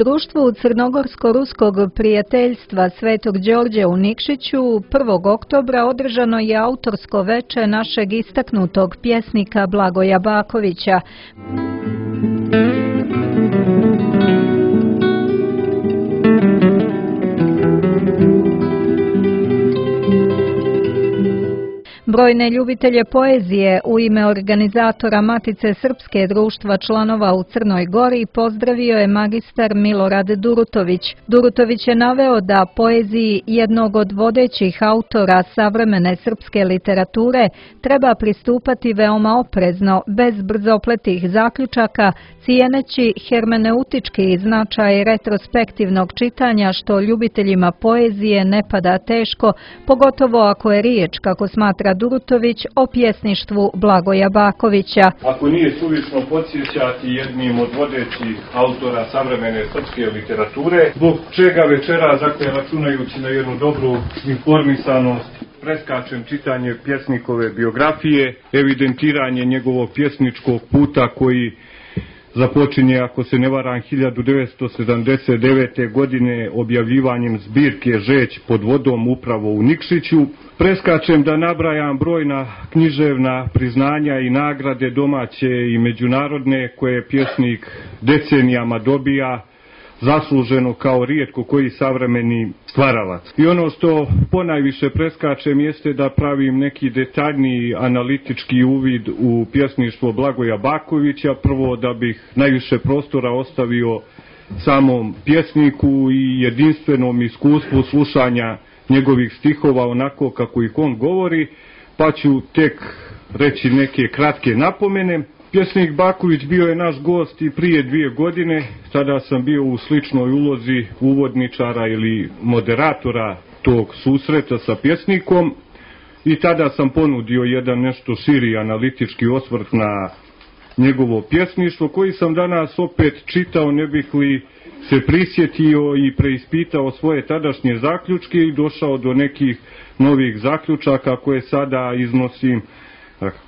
društvu Crnogorsko-ruskog prijateljstva Svetog Đorđe u Nikšiću 1. oktobra održano je autorsko veče našeg istaknutog pjesnika Blagoja Bakovića. Brojne ljubitelje poezije u ime organizatora Matice Srpske društva članova u Crnoj Gori pozdravio je magistar Milorad Durutović. Durutović je naveo da poeziji jednog od vodećih autora savremene srpske literature treba pristupati veoma oprezno, bez brzopletih zaključaka, cijeneći hermeneutički značaj retrospektivnog čitanja što ljubiteljima poezije ne pada teško, pogotovo ako je riječ, kako smatra Durutović, o pjesništvu Blagoja Bakovića. Ako nije suvišno podsjećati jednim od vodećih autora savremene srpske literature, zbog čega večeras, dakle, računajući na jednu dobru informisanost, preskačem čitanje pjesnikove biografije, evidentiranje njegovog pjesničkog puta koji započinje, ako se ne varam, 1979. godine objavljivanjem zbirke Žeć pod vodom upravo u Nikšiću. Preskačem da nabrajam brojna književna priznanja i nagrade domaće i međunarodne koje pjesnik decenijama dobija, zasluženo kao rijetko koji savremeni stvaralac. I ono što ponajviše preskačem jeste da pravim neki detaljniji analitički uvid u pjesništvo Blagoja Bakovića, prvo da bih najviše prostora ostavio samom pjesniku i jedinstvenom iskustvu slušanja njegovih stihova onako kako ih on govori, pa ću tek reći neke kratke napomene. Pjesnik Baković bio je naš gost i prije 2 godine, tada sam bio u sličnoj ulozi uvodničara ili moderatora tog susreta sa pjesnikom i tada sam ponudio jedan nešto širi analitički osvrt na njegovo pjesništvo koji sam danas opet čitao, ne bih li se prisjetio i preispitao svoje tadašnje zaključke i došao do nekih novih zaključaka koje sada iznosim,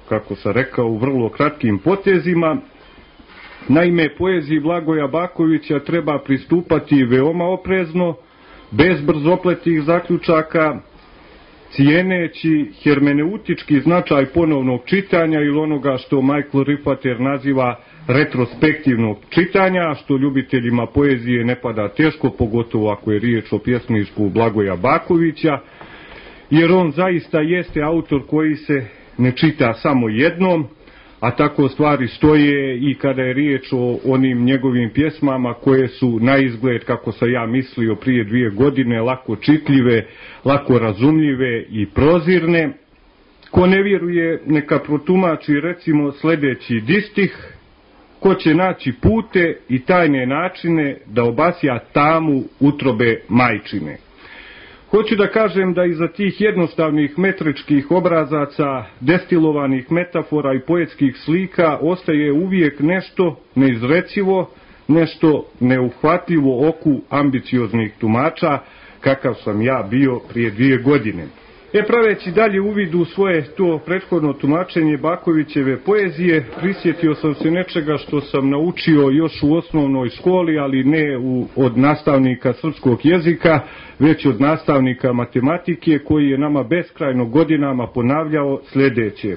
kako sam rekao, u vrlo kratkim potezima. Naime, poeziji Blagoja Bakovića treba pristupati veoma oprezno, bez brzopletih zaključaka, cijeneći hermeneutički značaj ponovnog čitanja ili onoga što Michael Riffater naziva retrospektivnog čitanja, što ljubiteljima poezije ne pada teško, pogotovo ako je riječ o pjesništvu Blagoja Bakovića, jer on zaista jeste autor koji se ne čita samo jednom, a tako stvari stoje i kada je riječ o onim njegovim pjesmama koje su na izgled, kako sam ja mislio prije 2 godine, lako čitljive, lako razumljive i prozirne. Ko ne vjeruje, neka protumači recimo sljedeći distih: ko će naći pute i tajne načine da obasja tamu utrobe majčine. Hoću da kažem da iza tih jednostavnih metričkih obrazaca, destilovanih metafora i poetskih slika ostaje uvijek nešto neizrecivo, nešto neuhvatljivo oku ambicioznih tumača, kakav sam ja bio prije 2 godine. Praveći dalje uvid u svoje to prethodno tumačenje Bakovićeve poezije, prisjetio sam se nečega što sam naučio još u osnovnoj školi, ali ne od nastavnika srpskog jezika, već od nastavnika matematike, koji je nama beskrajno godinama ponavljao sljedeće: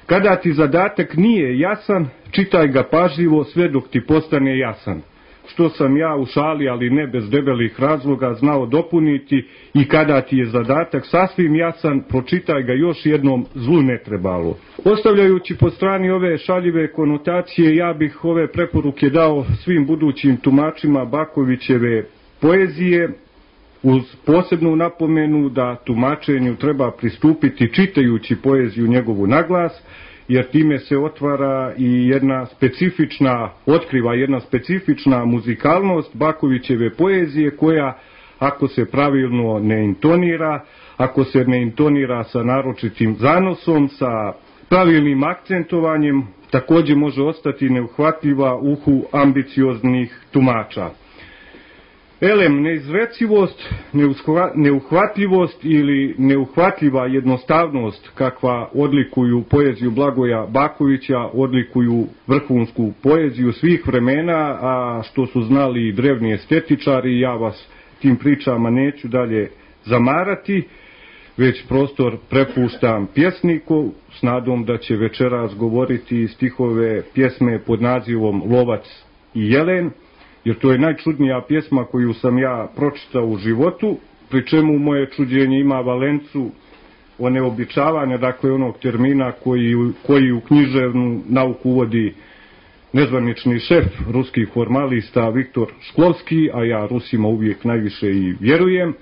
kada ti zadatak nije jasan, čitaj ga pažljivo sve dok ti postane jasan. Što sam ja u šali, ali ne bez debelih razloga, znao dopuniti: i kada ti je zadatak sasvim jasan, pročitaj ga još jednom, zlu ne trebalo. Ostavljajući po strani ove šaljive konotacije, ja bih ove preporuke dao svim budućim tumačima Bakovićeve poezije, uz posebnu napomenu da tumačenju treba pristupiti čitajući poeziju njegovu naglas, jer time se otvara i otkriva jedna specifična muzikalnost Bakovićeve poezije koja, ako se pravilno ne intonira, ako se ne intonira sa naročitim zanosom, sa pravilnim akcentovanjem, također može ostati neuhvatljiva uhu ambicioznih tumača. Elem, neizrecivost, neuhvatljivost ili neuhvatljiva jednostavnost kakva odlikuju poeziju Blagoja Bakovića, odlikuju vrhunsku poeziju svih vremena, a što su znali i drevni estetičari, ja vas tim pričama neću dalje zamarati, već prostor prepuštam pjesniku s nadom da će večeras govoriti stihove pjesme pod nazivom Lovac i jelen, jer to je najčudnija pjesma koju sam ja pročitao u životu, pri čemu moje čuđenje ima valencu oneobičavanja, dakle onog termina koji u književnu nauku uvodi nezvanični šef ruskih formalista Viktor Šklovski, a ja Rusima uvijek najviše i vjerujem.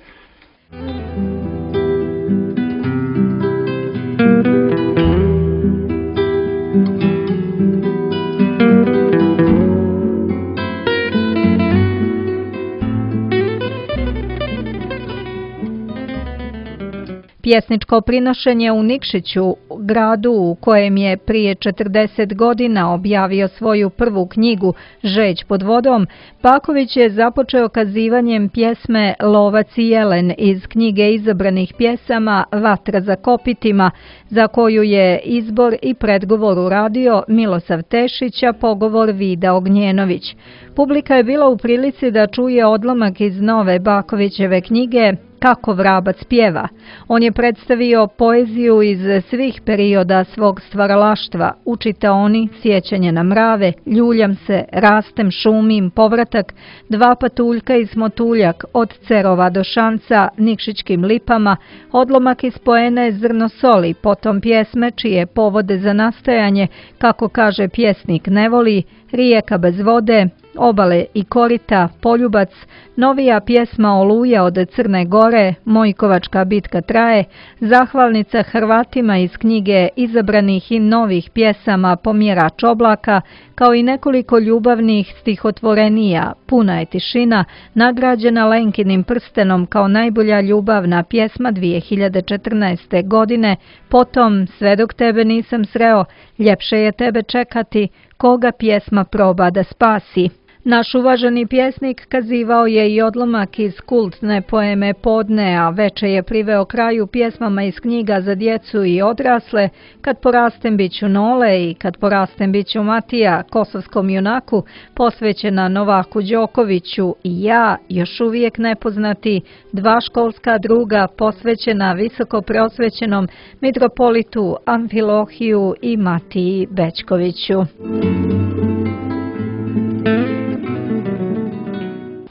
Pjesničko prinošenje u Nikšiću, gradu u kojem je prije 40 godina objavio svoju prvu knjigu Žeć pod vodom, Baković je započeo kazivanjem pjesme Lovac i jelen iz knjige izabranih pjesama Vatra za kopitima, za koju je izbor i predgovor uradio Milosav Tešić, a pogovor Vida Ognjenović. Publika je bila u prilici da čuje odlomak iz nove Bakovićeve knjige Kako vrabac pjeva. On je predstavio poeziju iz svih perioda svog stvaralaštva, u čitaoni, Sjećanje na mrave, Ljuljam se, Rastem, šumim, Povratak, Dva patuljka i smotuljak, Od Cerova do Šanca, Nikšićkim lipama, odlomak iz poene Zrno soli, potom pjesme čije povode za nastajanje, kako kaže pjesnik ne voli, Rijeka bez vode, Obale i korita, Poljubac, novija pjesma Oluja od Crne Gore, Mojkovačka bitka traje, zahvalnica Hrvatima iz knjige izabranih i novih pjesama Pomjerač oblaka, kao i nekoliko ljubavnih stihotvorenija, Puna je tišina, nagrađena Lenkinim prstenom kao najbolja ljubavna pjesma 2014. godine, potom Sve dok tebe nisam sreo, Ljepše je tebe čekati, Koga pjesma proba da spasi. Naš uvaženi pjesnik kazivao je i odlomak iz kultne poeme Podne, a veče je priveo kraju pjesmama iz knjiga za djecu i odrasle, Kad porastem biću Nole i Kad porastem biću Matija, kosovskom junaku, posvećena Novaku Đokoviću i Ja, još uvijek nepoznati, Dva školska druga, posvećena visoko preosvećenom mitropolitu Amfilohiju i Matiji Bećkoviću.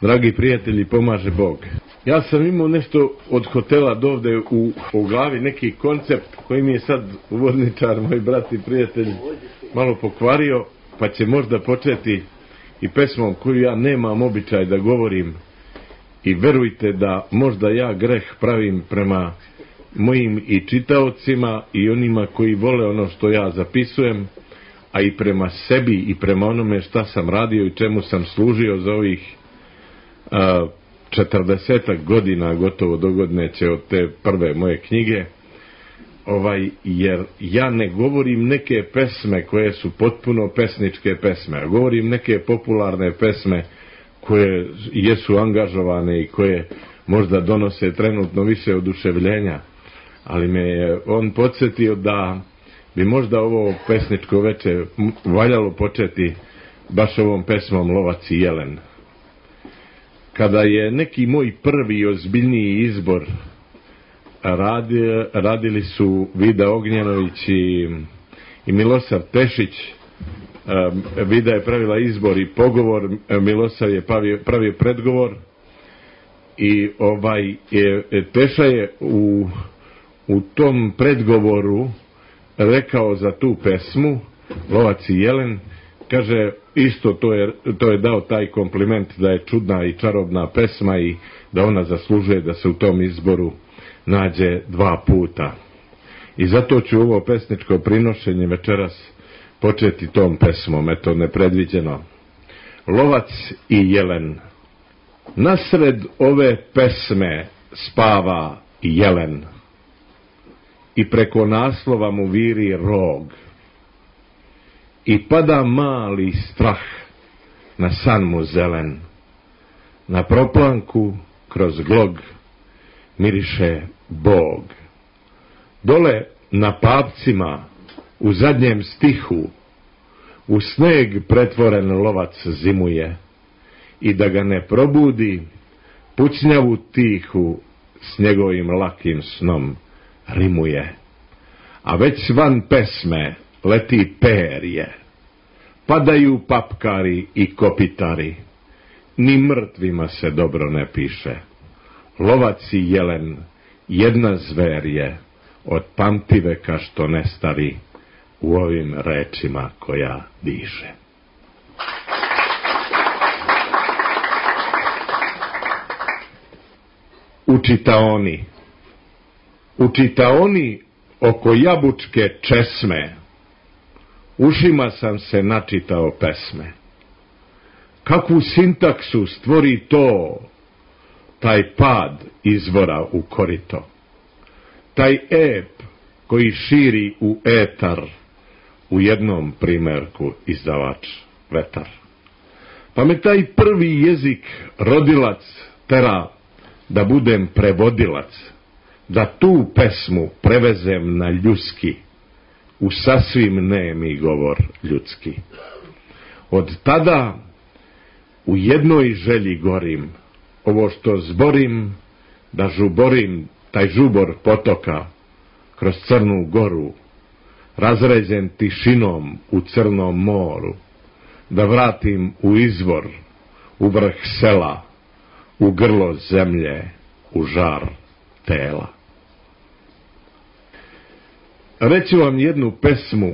Dragi prijatelji, pomaže Bog. Ja sam imao nešto od hotela dovde u glavi, neki koncept koji mi je sad uvodničar, moj brat i prijatelj, malo pokvario, pa će možda početi i pesmom koju ja nemam običaj da govorim. I verujte da možda ja greh pravim prema mojim i čitaocima i onima koji vole ono što ja zapisujem, a i prema sebi i prema onome šta sam radio i čemu sam služio za ovih 40 godina, gotovo dogodne će od te prve moje knjige, jer ja ne govorim neke pesme koje su potpuno pesničke pesme, a govorim neke popularne pesme koje jesu angažovane i koje možda donose trenutno više oduševljenja, ali me je on podsjetio da bi možda ovo pesničko veče valjalo početi baš ovom pesmom Lovac i jelen. Kada je neki moj prvi ozbiljniji izbor radili su Vida Ognjenović i Milosav Tešić, Vida je pravila izbor i pogovor, Milosav je pravio predgovor i Teša je u tom predgovoru rekao za tu pesmu Lovac i jelen, kaže, isto to je dao taj kompliment da je čudna i čarobna pesma i da ona zaslužuje da se u tom izboru nađe 2 puta. I zato ću ovo pesničko prinošenje večeras početi tom pesmom, eto nepredviđeno. Lovac i jelen. Nasred ove pesme spava jelen i preko naslova mu viri rog. I pada mali strah na san mu zelen. Na proplanku kroz glog miriše Bog. Dole na papcima u zadnjem stihu u sneg pretvoren lovac zimuje i da ga ne probudi pucnjavu tihu s njegovim lakim snom rimuje. A već van pesme leti perje, padaju papkari i kopitari, ni mrtvima se dobro ne piše. Lovac i jelen jedna zver je, od pamtiveka što ne stari, u ovim rečima koja diše. U čitaoni oko jabučke česme ušima sam se načitao pesme. Kakvu sintaksu stvori to, taj pad izvora u korito, taj ep koji širi u etar, u jednom primerku izdavač vetar. Pa me taj prvi jezik rodilac tera da budem prevodilac, da tu pesmu prevezem na ljudski, u sasvim nemi govor ljudski. Od tada u jednoj želji gorim, ovo što zborim, da žuborim taj žubor potoka kroz Crnu Goru, razređen tišinom u Crnom moru, da vratim u izvor, u vrh sela, u grlo zemlje, u žar tela. Reću vam jednu pesmu,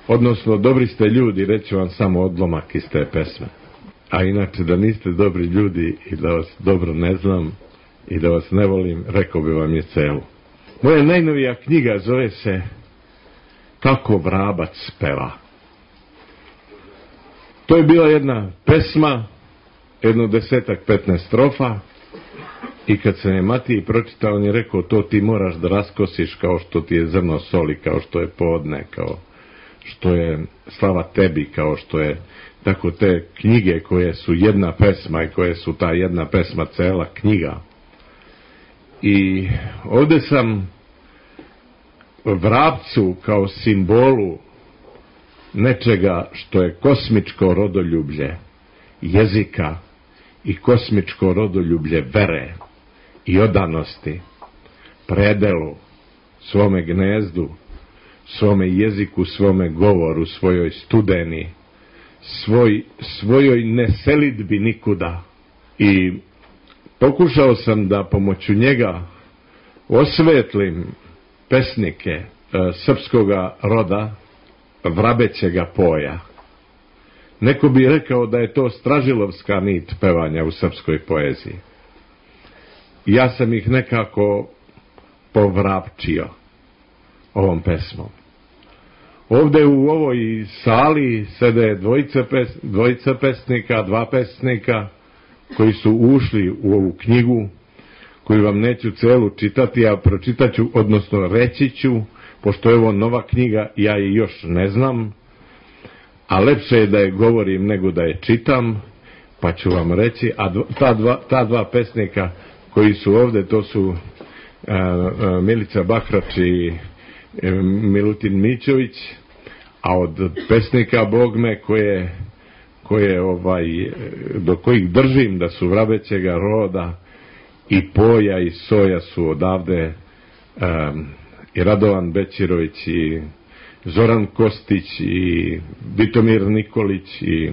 odnosno dobri ste ljudi, reću vam samo odlomak iz te pesme. A inače da niste dobri ljudi i da vas dobro ne znam i da vas ne volim, rekao bi vam je celu. Moja najnovija knjiga zove se Kako vrabac peva. To je bila jedna pesma, jedno 10-15 strofa, i kad se je Matiji pročitao, on je rekao, to ti moraš da raskosiš kao što ti je zrno soli, kao što je podne, kao što je slava tebi, kao što je tako te knjige koje su jedna pesma i koje su ta jedna pesma cela knjiga. I ovdje sam vrapcu kao simbolu nečega što je kosmičko rodoljublje jezika i kosmičko rodoljublje vere i odanosti predelu, svome gnezdu, svome jeziku, svome govoru, svojoj studeni, svojoj neselidbi nikuda. I pokušao sam da pomoću njega osvetlim pesnike srpskoga roda vrabećega poja. Neko bi rekao da je to stražilovska nit pevanja u srpskoj poeziji. Ja sam ih nekako povrapčio ovom pesmom. Ovdje u ovoj sali sede dvojica pesnika, dva pesnika koji su ušli u ovu knjigu, koju vam neću celu čitati, a pročitaću, odnosno reći ću, pošto je ovo nova knjiga, ja je još ne znam, a lepše je da je govorim nego da je čitam, pa ću vam reći, a ta dva pesnika koji su ovdje, to su Milica Bahrač i Milutin Mićović, a od pesnika Bogme koje do kojih držim da su vrabećega roda i poja i soja su odavde i Radovan Bećirović i Zoran Kostić i Vitomir Nikolić i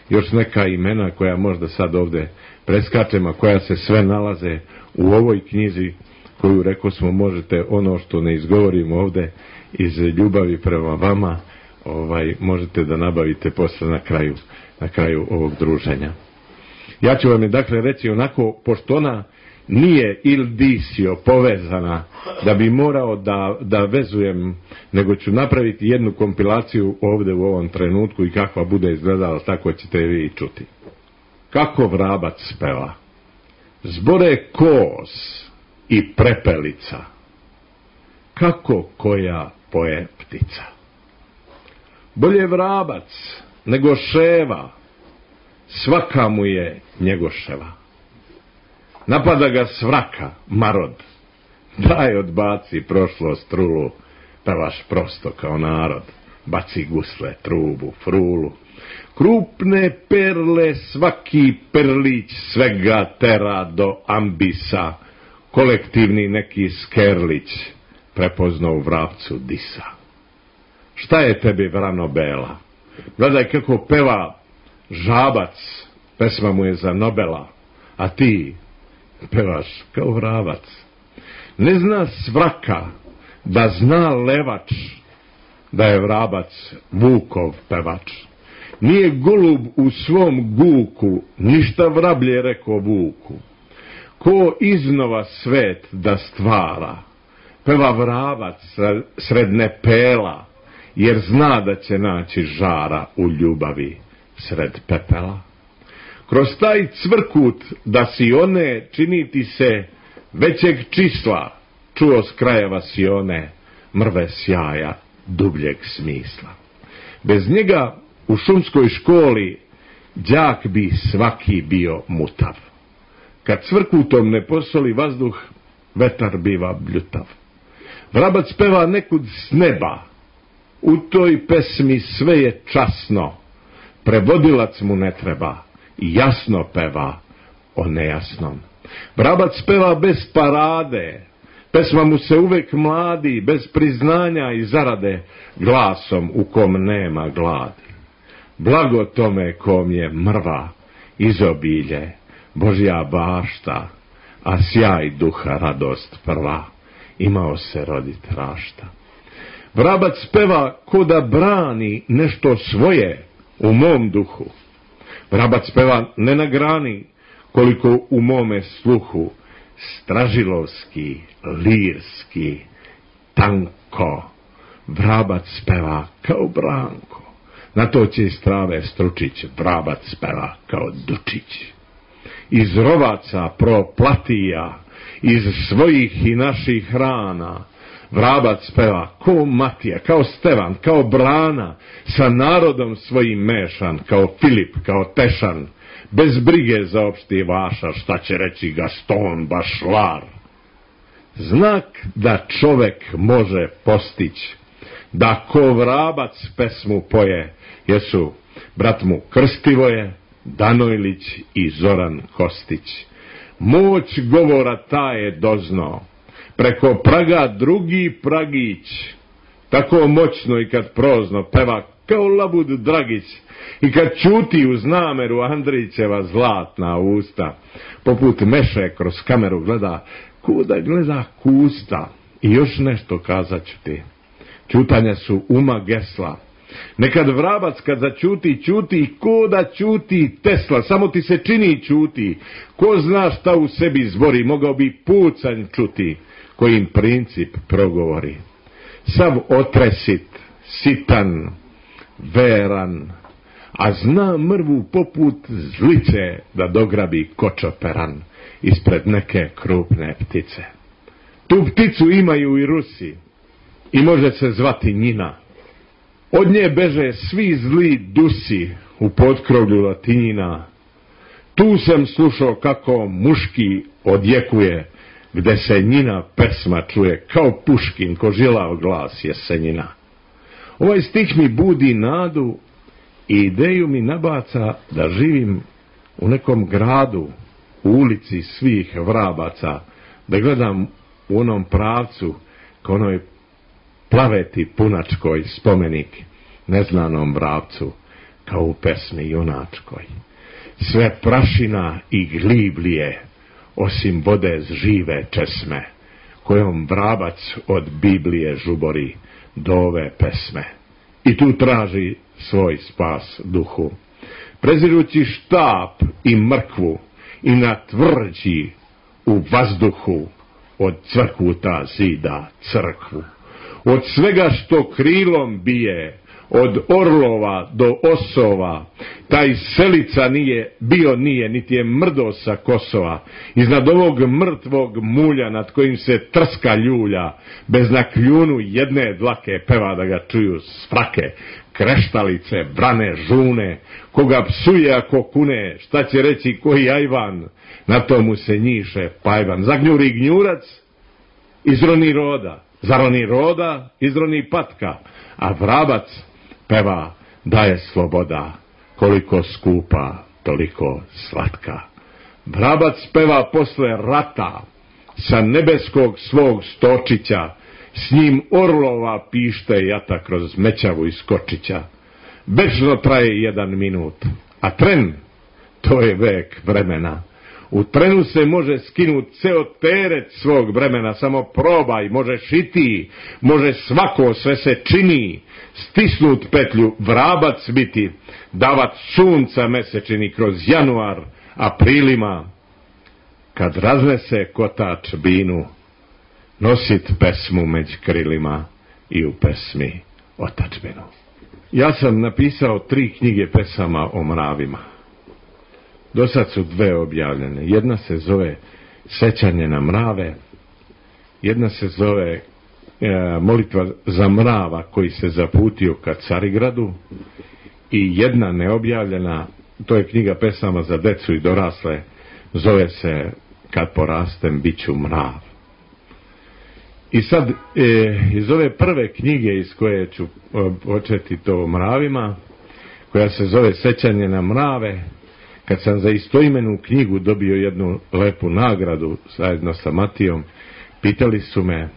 još neka imena koja možda sad ovdje preskačem, a koja se sve nalaze u ovoj knjizi koju, rekao smo, možete ono što ne izgovorim ovdje iz ljubavi prema vama, možete da nabavite posle na kraju ovog druženja. Ja ću vam je dakle reći onako, pošto ona nije il disio povezana da bi morao da vezujem, nego ću napraviti jednu kompilaciju ovdje u ovom trenutku i kakva bude izgledala, tako ćete vi i čuti. Kako vrabac peva. Zbore kos i prepelica, kako koja poje ptica. Bolje vrabac nego ševa, svaka mu je Njegoševa. Napada ga svraka, marod, daj odbaci prošlost trulu, pevaš prosto kao narod, baci gusle, trubu, frulu. Krupne perle svaki perlić svega tera do ambisa, kolektivni neki skerlić prepoznao u vrapcu disa. Šta je tebi vrano bela? Gledaj kako peva žabac, pesma mu je za Nobela, a ti pevaš kao vravac. Ne zna svraka da zna levač da je vrabac Vukov pevač. Nije golub u svom guku ništa vrablje rekao Vuku. Ko iznova svet da stvara, peva vravac sred nepela, jer zna da će naći žara u ljubavi sred pepela. Kroz taj cvrkut da si one čini ti se većeg čisla, čuo s krajeva si one mrve sjaja dubljeg smisla. Bez njega u šumskoj školi đak bi svaki bio mutav. Kad cvrkutom ne posoli vazduh, vetar biva bljutav. Vrabac peva nekud s neba, u toj pesmi sve je časno, prevodilac mu ne treba, jasno peva o nejasnom. Vrabac peva bez parade, pesma mu se uvek mladi, bez priznanja i zarade, glasom u kom nema gladi. Blago tome kom je mrva, izobilje, Božja bašta, a sjaj duha radost prva, imao se rodit rašta. Vrabac peva ko da brani nešto svoje u mom duhu. Vrabac peva ne na grani, koliko u mome sluhu, stražilovski, lirski, tanko. Vrabac peva kao Branko, na to će iz trave Stručić, vrabac peva kao Dučić. Iz rovaca proplatija, iz svojih i naših rana, vrabac peva ko Matija, kao Stevan, kao Brana, sa narodom svojim mešan, kao Filip, kao Tešan, bez brige za opšti vaša, šta će reći Gaston Bašlar. Znak da čovek može postići, da ko vrabac pesmu poje, jesu brat mu Krstivoje, Danojlić i Zoran Kostić. Moć govora ta je dozno, preko praga drugi pragić, tako moćno i kad prozno peva kao labud Dragić, i kad čuti uz nameru Andrićeva zlatna usta, poput meše kroz kameru gleda, kuda gleda kusta. I još nešto kazat ću ti, čutanja su uma gesla. Nekad vrabac kad začuti, čuti ko da čuti Tesla, samo ti se čini čuti. Ko zna šta u sebi zbori, mogao bi pucanj čuti, kojim princip progovori. Sav otresit, sitan, veran, a zna mrvu poput zlice da dograbi kočoperan ispred neke krupne ptice. Tu pticu imaju i Rusi i može se zvati Njina. Od nje beže svi zli dusi u potkrovlju Latinjina. Tu sam slušao kako muški odjekuje, gde se Njina pesma čuje, kao Puškin ko žilav glas jesenjina. Ovaj stih mi budi nadu i ideju mi nabaca da živim u nekom gradu, u ulici svih vrabaca, da gledam u onom pravcu kao onoj plaveti punačkoj spomenik neznanom vrapcu, kao u pesmi junačkoj. Sve prašina i gliblije, osim vode žive česme, kojom vrabac od Biblije žubori do ove pesme. I tu traži svoj spas duhu. Prezirući štap i mrkvu i na tvrđi u vazduhu, od cvrkuta zida crkvu. Od svega što krilom bije, od orlova do osova, taj selica nije, niti je mrdo sa Kosova. Iznad ovog mrtvog mulja nad kojim se trska ljulja, bez na kljunu jedne dlake peva da ga čuju s frake. kreštalice, brane, žune, koga psuje ako kune, šta će reći koji ajvan, na tomu se njiše pajvan. Zagnjuri gnjurac, izroni roda, zaroni roda, izroni patka, a vrabac peva da je sloboda, koliko skupa, toliko slatka. Vrabac peva posle rata, sa nebeskog svog stočića, s njim orlova pište jata kroz mećavu iz kočića. Večno traje 1 minut, a tren, to je vek vremena. U trenu se može skinut ceo teret svog vremena, samo probaj, možeš i ti, može svako, sve se čini, stisnut petlju, vrabac biti, davat sunca mesečini kroz januar, aprilima, kad raznese kotač binu, nosit pesmu među krilima i u pesmi otačbinu. Ja sam napisao 3 knjige pesama o mravima. Do sad su 2 objavljene. Jedna se zove Sećanje na mrave, jedna se zove Molitva za mrava koji se zaputio ka Carigradu i jedna neobjavljena, to je knjiga pesama za decu i dorasle, zove se Kad porastem bit ću mrav. I sad iz ove prve knjige iz koje ću početi to o mravima, koja se zove Sećanje na mrave, kad sam za istoimenu knjigu dobio jednu lepu nagradu zajedno sa Matijom, pitali su me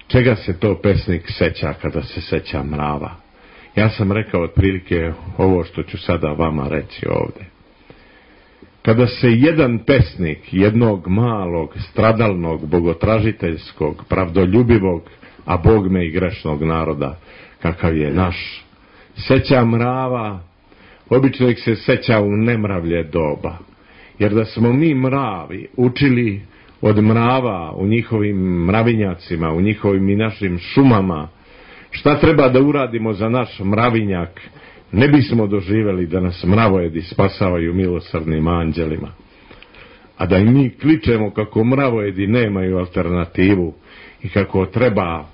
čega se to pesnik seća kada se seća mrava. Ja sam rekao otprilike ovo što ću sada vama reći ovde. Kada se jedan pesnik jednog malog, stradalnog, bogotražiteljskog, pravdoljubivog, a bogme i grešnog naroda, kakav je naš, seća mrava, obično ih se seća u nemravlje doba. Jer da smo mi mravi učili od mrava u njihovim mravinjacima, u njihovim i našim šumama, šta treba da uradimo za naš mravinjak, ne bismo doživjeli da nas mravojedi spasavaju milosrdnim anđelima. A da i mi kličemo kako mravojedi nemaju alternativu i kako treba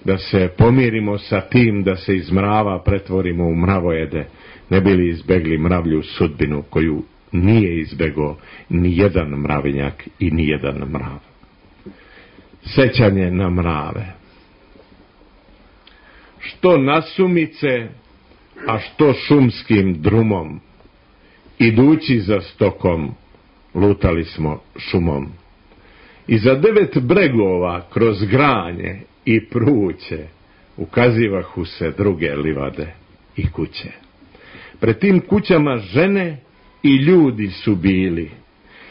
da se pomirimo sa tim da se iz mrava pretvorimo u mravojede, ne bili izbegli mravlju sudbinu koju nije izbegao ni jedan mravinjak i ni jedan mrav. Sećanje na mrave. Što nasumice, a što šumskim drumom, idući za stokom, lutali smo šumom. I za 9 bregova kroz granje i pruće ukazivahu se druge livade i kuće. Pred tim kućama žene i ljudi su bili.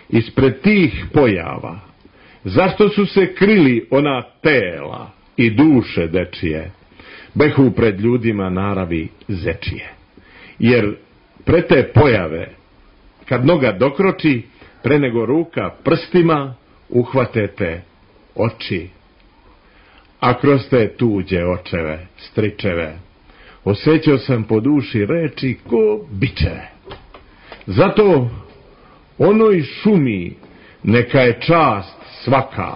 Ispred tih pojava, zašto su se krili ona tela i duše dečije, behu pred ljudima naravi zečije. Jer pre te pojave, kad noga dokroči, pre nego ruka prstima uhvatete oči. A kroz te tuđe očeve, stričeve, osjećao sam po duši reči ko bičeve. Zato onoj šumi neka je čast svaka.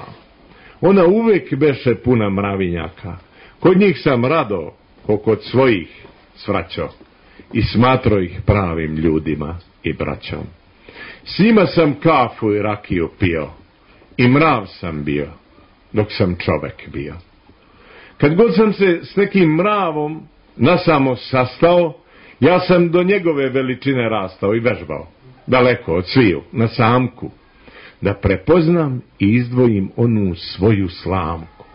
Ona uvek beše puna mravinjaka. Kod njih sam rado, ko kod svojih svraćo, i smatro ih pravim ljudima i braćom. S njima sam kafu i rakiju pio, i mrav sam bio, dok sam čovek bio. Kad god sam se s nekim mravom nasamo sastao, ja sam do njegove veličine rastao i vežbao, daleko od sviju, na samku, da prepoznam i izdvojim onu svoju slamku.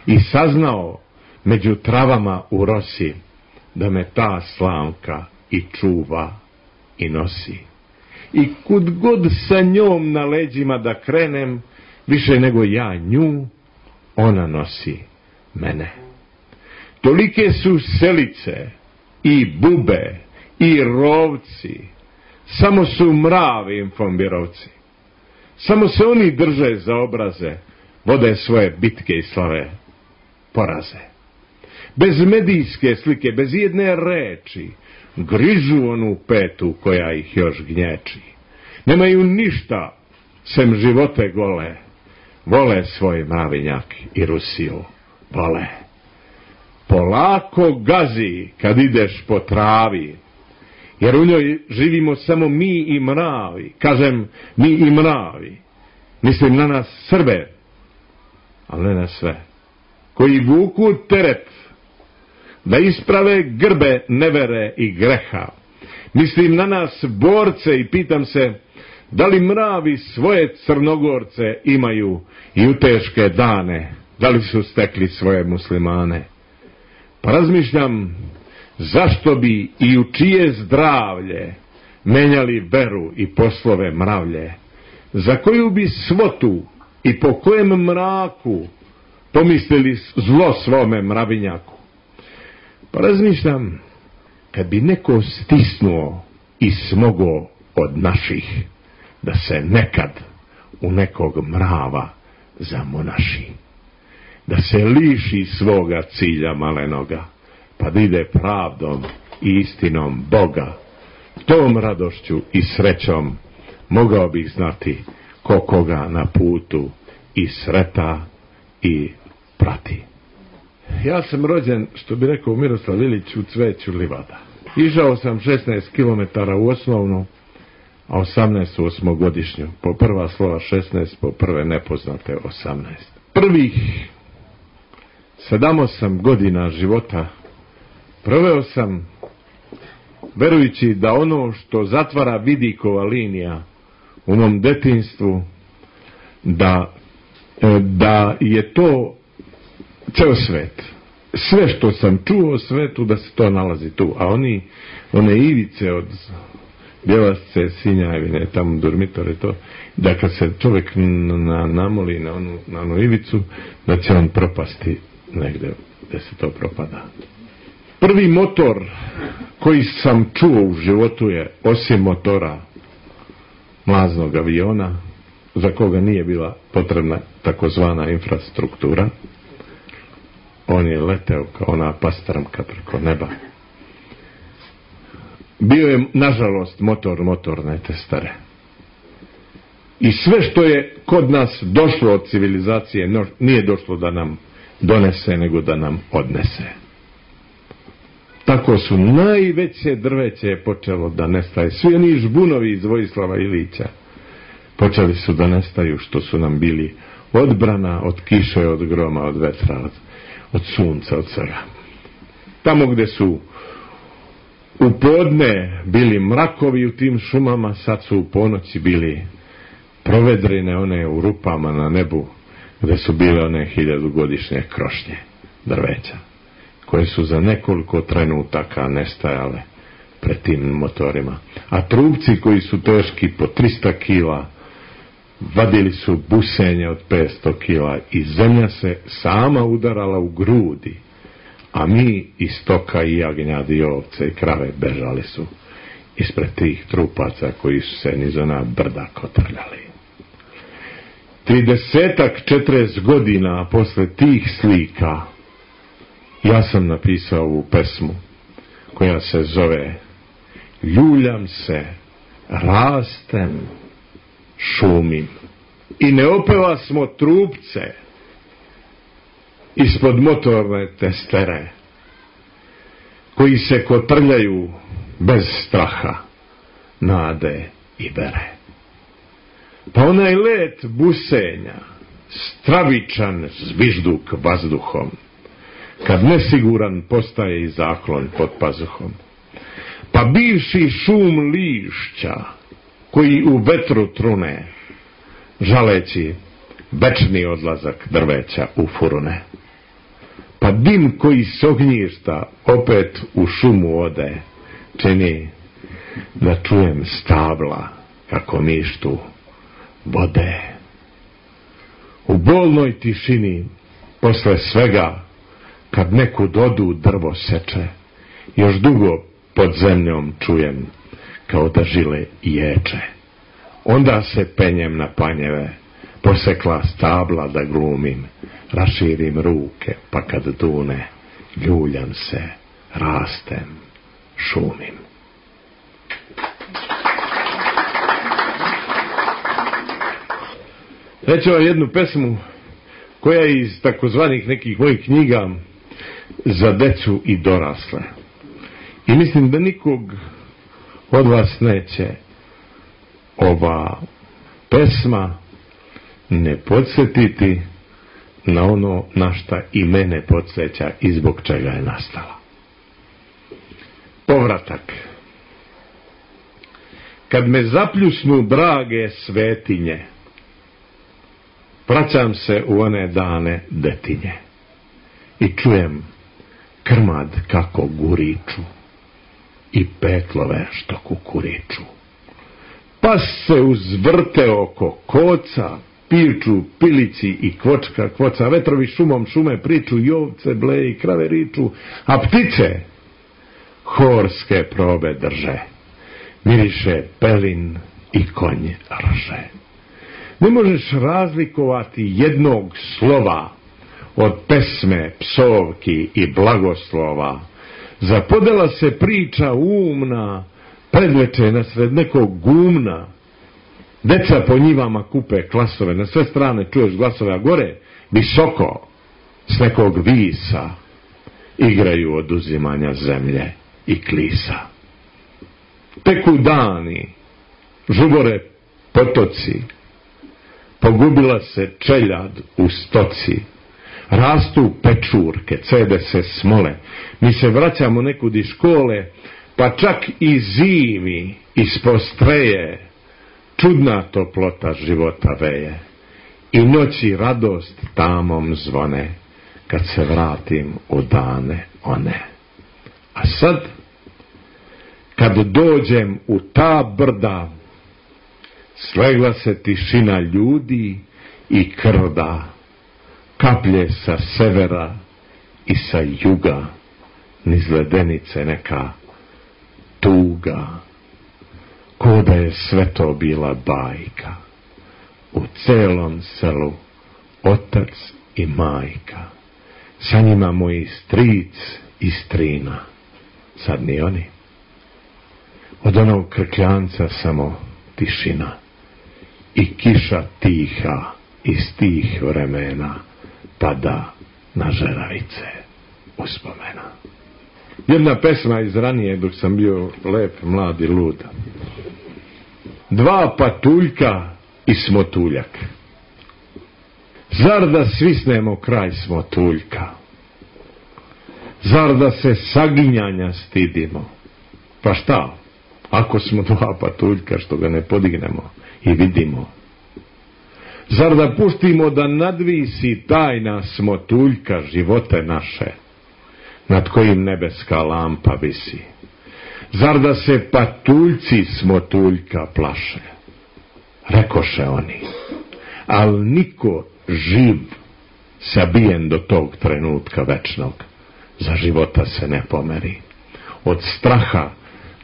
I saznao među travama u rosi, da me ta slamka i čuva i nosi. I kud god sa njom na leđima da krenem, više nego ja nju, ona nosi mene. Tolike su selice i bube i rovci, samo su mravi infombirovci. Samo se oni drže za obraze, vode svoje bitke i slave poraze. Bez medijske slike, bez jedne reči, grižu onu petu koja ih još gnječi. Nemaju ništa sem živote gole, vole svoj mravinjak i Rusiju, vole. polako gazi kad ideš po travi, jer u njoj živimo samo mi i mravi. Kažem mi i mravi, mislim na nas Srbe, ali ne na sve, koji vuku teret da isprave grbe nevere i greha. Mislim na nas borce i pitam se da li mravi svoje Crnogorce imaju i u teške dane, da li su stekli svoje muslimane. Pa razmišljam zašto bi i u čije zdravlje menjali veru i poslove mravlje, za koju bi svotu i po kojem mraku pomislili zlo svome mravinjaku. Pa razmišljam, kad bi neko stisnuo i smogao od naših, da se nekad u nekog mrava zamonaši, da se liši svoga cilja malenoga, pa da ide pravdom i istinom Boga, tom radošću i srećom mogao bih znati ko koga na putu i sreta i prati. Ja sam rođen, što bi rekao Miroslav Ilić, u cveću livada. Išao sam 16 km u osnovnu, a 18 u osmogodišnju. Po prva slova 16, po prve nepoznate 18. Prvih 7-8 godina života proveo sam verujući da ono što zatvara vidikova linija u mom detinjstvu, da je to ceo svet. Sve što sam čuo o svetu, da se to nalazi tu. A one ivice od Bjelasce, Sinjavine, tamo Durmitore, to, da kad se čovjek namoli na onu ivicu, da će on propasti negde gde se to propada. Prvi motor koji sam čuo u životu je, osim motora mlaznog aviona, za koga nije bila potrebna takozvana infrastruktura, on je leteo kao ona pastrmka preko neba. Bio je, nažalost, motor motorne testare. I sve što je kod nas došlo od civilizacije, nije došlo da nam donese, nego da nam odnese. Tako su najveće drveće počelo da nestaje. Svi oni žbunovi iz Vojislava Ilića počeli su da nestaju, što su nam bili odbrana od kiše, od groma, od vetra, od sunca, od svega. Tamo gde su u podne bili mrakovi u tim šumama, sad su u ponoći bili provedrine, one u rupama na nebu, gde su bile one 1000-godišnje krošnje drveća, koje su za nekoliko trenutaka nestajale pred tim motorima. A trupci koji su teški po 300 kila, vadili su busenje od 500 kila i zemlja se sama udarala u grudi, a mi i stoka i jagnjadi i ovce i krave bežali su ispred tih trupaca koji su se niz ona brda kotrljali. 30-40 godina posle tih slika ja sam napisao ovu pesmu koja se zove Ljuljam se, rastem, šumim. I ne opeva smo trupce ispod motorne testere koji se kotrljaju bez straha, nade i vere. Pa onaj let busenja, stravičan zvižduk vazduhom, kad nesiguran postaje i zaklon pod pazuhom. Pa bivši šum lišća koji u vetru trune, žaleći večni odlazak drveća u furune. Pa dim koji s ognjišta opet u šumu ode, čini da čujem stabla kako mištu vode. U bolnoj tišini posle svega, kad nekud odu drvo seče, još dugo pod zemljom čujem kao da žile ječe. Onda se penjem na panjeve, posekla stabla da glumim, raširim ruke, pa kad dune, ljuljam se, rastem, šumim. Reću vam jednu pesmu koja je iz takozvanih nekih mojih knjiga, za decu i dorasle. I mislim da nikog od vas neće ova pesma ne podsjetiti na ono na šta i mene podsjeća i zbog čega je nastala. Povratak. Kad me zapljusnu drage svetinje, vraćam se u one dane detinje i čujem krmad kako guriču i petlove što kukuriču. Pas se uzvrte oko koca, piču pilici i kvočka kvoca, vetrovi šumom šume priču, i ovce bleje i krave riču, a ptice horske probe drže, miriše pelin i konj rže. Ne možeš razlikovati jednog slova od pesme, psovki i blagoslova. Zapodela se priča umna, predveče nasred nekog gumna. Deca po njivama kupe klasove, na sve strane čuješ glasove, a gore, visoko, s nekog visa, igraju oduzimanja zemlje i klisa. Teku dani, žubore potoci, pogubila se čeljad u stoci, rastu pečurke, cede se smole, mi se vraćamo nekud iz škole, pa čak i zimi ispod streje čudna toplota života veje i noći radost tamom zvone kad se vratim u dane one. A sad, kad dođem u ta brda, slegla se tišina ljudi i krda, kaplje sa severa i sa juga, niz ledenice neka tuga, ko da je sve to bila bajka, u celom selu otac i majka, sa njima moji stric i strina, sad ni oni. Od onog krkljanca samo tišina i kiša tiha iz tih vremena pada na žeravice uspomena. Jedna pesma iz ranije dok sam bio lep, mlad i lud. Dva patuljka i smotuljak. Zar da svisnemo kraj smotuljka? Zar da se saginjanja stidimo? Pa šta, ako smo dva patuljka što ga ne podignemo i vidimo? Zar da pustimo da nadvisi tajna smotuljka živote naše, nad kojim nebeska lampa visi? Zar da se patuljci smotuljka plaše? Rekoše oni, al niko živ sabijen do tog trenutka večnog za života se ne pomeri. Od straha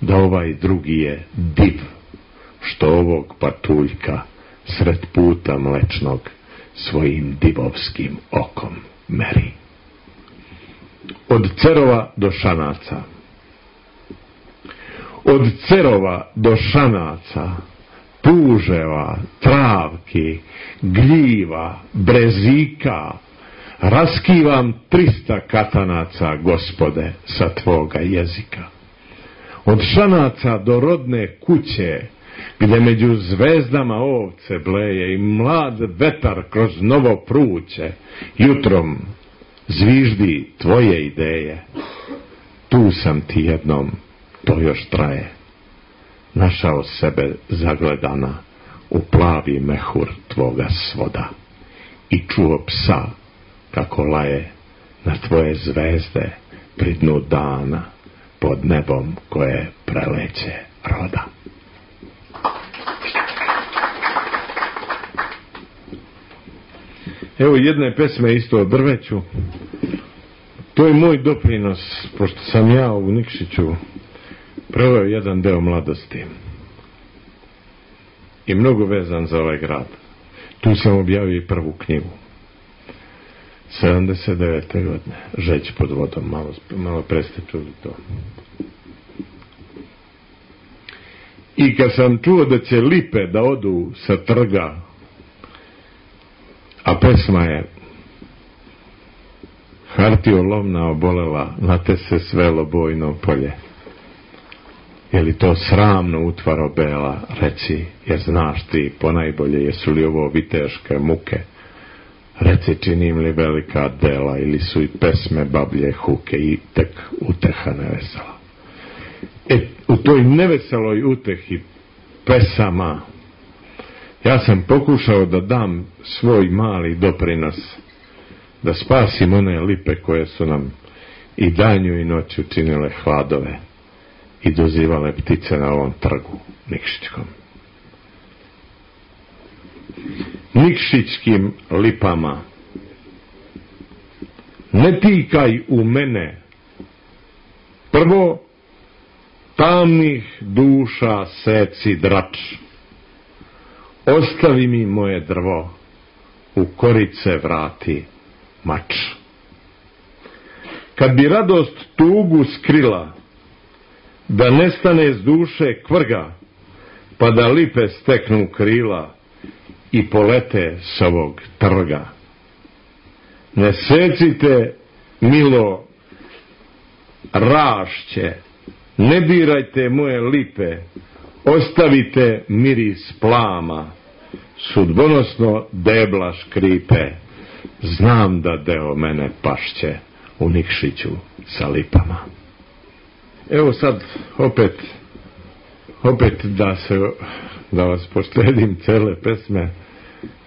da ovaj drugi je div, što ovog patuljka sred puta mlečnog svojim divovskim okom meri. Od cerova do šanaca. Od cerova do šanaca, puževa, travki, gljiva, brezika, raskivam 300 katanaca, Gospode, sa tvoga jezika. Od šanaca do rodne kuće, gdje među zvezdama ovce bleje i mlad vetar kroz novo pruće, jutrom zviždi tvoje ideje. Tu sam ti jednom, to još traje, našao sebe zagledana u plavi mehur tvoga svoda i čuo psa kako laje na tvoje zvezde pri dnu dana pod nebom koje preleće roda. Evo jedne pesme isto o drveću. To je moj doprinos, pošto sam ja u Nikšiću proveo jedan deo mladosti i mnogo vezan za ovaj grad. Tu sam objavio i prvu knjigu 79. godine, Žeć pod vodom. Malo pre ste čuli to. I kad sam čuo da će lipe da odu sa trga, a pesma je Hartio lovna obolela, na te se svelo bojno polje. Je li to sramno utvaro bela, reci, jer znaš ti ponajbolje jesu li ovo viteške muke. Reci, činim li velika dela ili su i pesme bablje huke i tek uteha nevesela. U toj neveseloj utehi pesama ja sam pokušao da dam svoj mali doprinos, da spasim one lipe koje su nam i danju i noću činile hladove i dozivale ptice na ovom trgu Nikšićkom. Nikšićkim lipama, ne tikaj u mene prvo tamnih duša seci drač, ostavi mi moje drvo, u korice vrati mač. Kad bi radost tugu skrila, da nestane s duše kvrga, pa da lipe steknu krila i polete s ovog trga. Ne secite, milo rašće, ne dirajte moje lipe, ostavite miris plama, sudbonosno debla škripe, znam da deo mene pašće u Nikšiću sa lipama. Evo sad opet da vas poštedim cele pesme,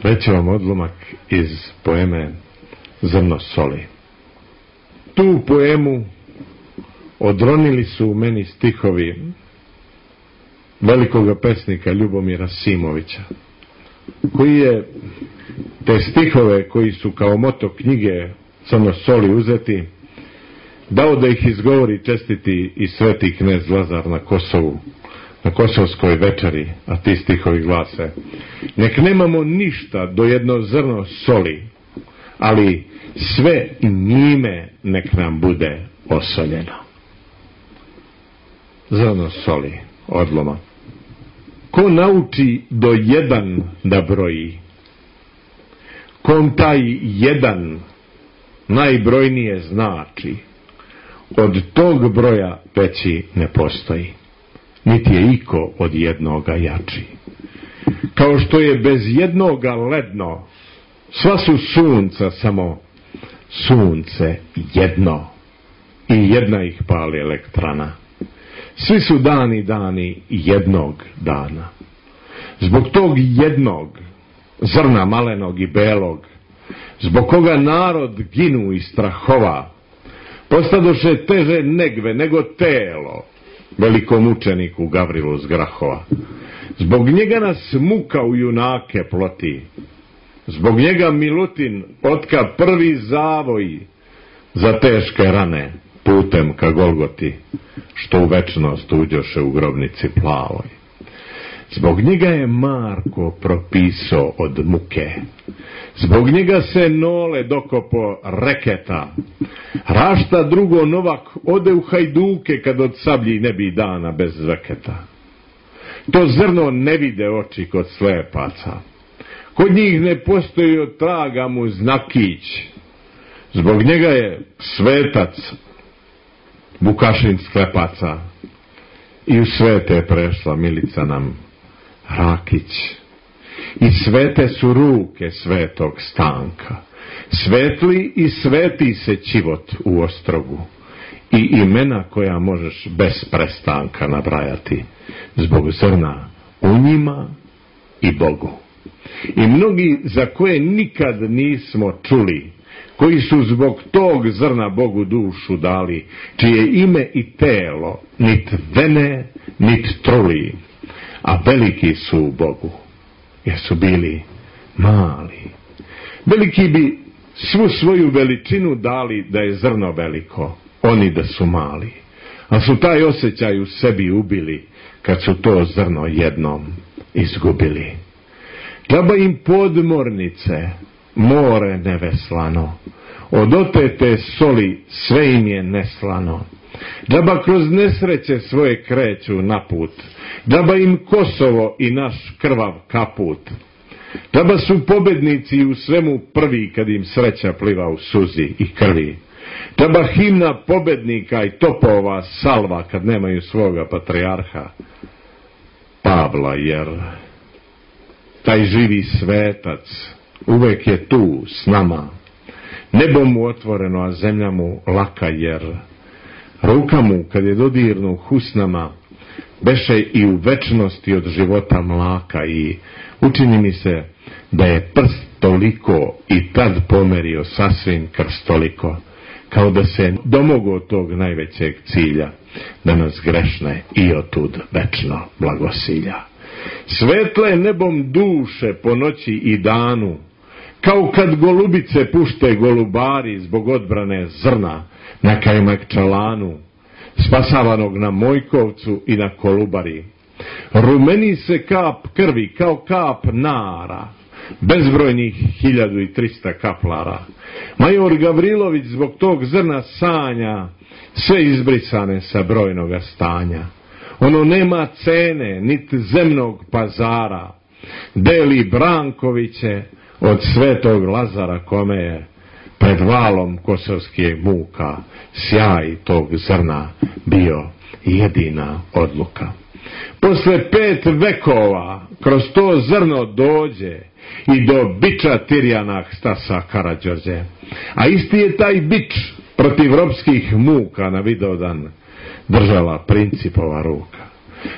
reći vam odlomak iz poeme Zrno soli. Tu poemu odronili su u meni stihovi velikoga pesnika Ljubomira Simovića, koji je te stihove koji su kao moto knjige Crno soli uzeti, dao da ih izgovori čestiti i sveti knez Lazar na Kosovu, na kosovskoj večeri, a ti stihovi glase: nek nemamo ništa do jedno zrno soli, ali sve njime nek nam bude osoljeno. Zrno soli, odloma. Ko nauči do jedan da broji, kom taj jedan najbrojnije znači, od tog broja veći ne postoji, niti je iko od jednoga jači. Kao što je bez jednoga ledno, sva su sunca samo sunce jedno i jedna ih pali elektrana. Svi su dani jednog dana. Zbog tog jednog zrna malenog i belog, zbog koga narod ginu i strahova, postadoše teže negve nego telo velikom učeniku Gavrilu z Grahova. Zbog njega nas muka u junake ploti, zbog njega Milutin otka prvi zavoj za teške rane putem ka Golgoti, što u večnost uđoše u grobnici plavoj. Zbog njega je Marko propisao od muke, zbog njega se Nole dokopo reketa, Rašta drugo Novak ode u Hajduke kad od sablji ne bi dana bez zveketa. To zrno ne vide oči kod slepaca, kod njih ne postoji od traga mu znakić, zbog njega je svetac Vukašin sklepaca i u svete prešla Milica nam Rakić. I svete su ruke svetog Stanka, svetli i sveti se čivot u Ostrogu i imena koja možeš bez prestanka nabrajati, zbog zrna u njima i Bogu. I mnogi za koje nikad nismo čuli, koji su zbog tog zrna Bogu dušu dali, čije ime i telo nit vene, nit truli, a veliki su u Bogu, jer su bili mali. Veliki bi svu svoju veličinu dali da je zrno veliko, oni da su mali, a su taj osjećaj u sebi ubili kad su to zrno jednom izgubili. Džaba im podmornice, more neveslano, od otete soli sve im je neslano. Džaba kroz nesreće svoje kreću na put, džaba im Kosovo i naš krvav kaput. Džaba su pobednici u svemu prvi kad im sreća pliva u suzi i krvi. Džaba himna pobednika i topova salva kad nemaju svoga patrijarha Pavla, jer taj živi svetac uvek je tu s nama. Nebo mu otvoreno, a zemlja mu laka, jer ruka mu kad je dodirnu husnama beše i u večnosti od života mlaka, i učini mi se da je prst toliko i tad pomerio sasvim krstoliko, kao da se domogao tog najvećeg cilja, da nas grešne i otud večno blagosilja. Svetle nebom duše po noći i danu, kao kad golubice pušte golubari zbog odbrane zrna na Kajmakčalanu, spasavanog na Mojkovcu i na Kolubari. Rumeni se kap krvi kao kap nara, bezbrojnih 1300 kaplara. Major Gavrilović zbog tog zrna sanja sve izbrisane sa brojnoga stanja. Ono nema cene, niti zemnog pazara, deli Brankoviće od svetog Lazara, kome je pred valom kosovskih muka sjaj tog zrna bio jedina odluka. Posle 5 vekova kroz to zrno dođe i do biča Tirjana Stasa Karađorđe, a isti je taj bič protiv ropskih muka na Vidovdan držala Principova ruka.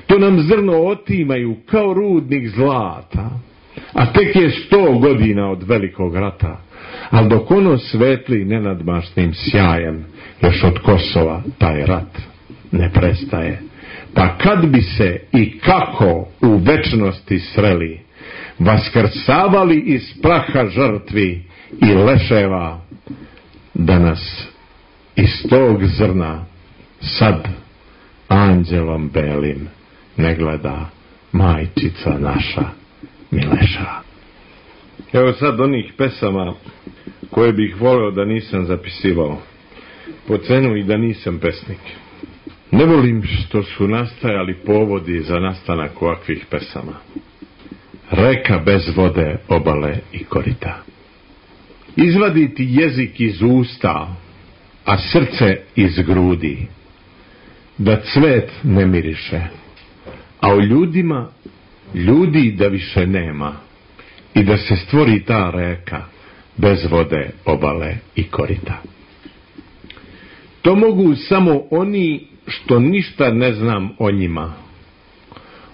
To nam zrno otimaju kao rudnik zlata, a tek je 100 godina od velikog rata, ali dok ono svetli nenadmašnim sjajem, još od Kosova taj rat ne prestaje. Pa kad bi se i kako u večnosti sreli, vaskrsavali iz praha žrtvi i leševa, da nas iz tog zrna sad anđelom belim ne gleda majčica naša Mileša. Evo sad onih pesama koje bih voleo da nisam zapisivao, po cenu i da nisam pesnik. Ne volim što su nastajali povodi za nastanak ovakvih pesama. Reka bez vode, obale i korita. Izvaditi jezik iz usta, a srce iz grudi, da cvet ne miriše, a u ljudima ljudi da više nema, i da se stvori ta reka bez vode, obale i korita. To mogu samo oni što ništa ne znam o njima,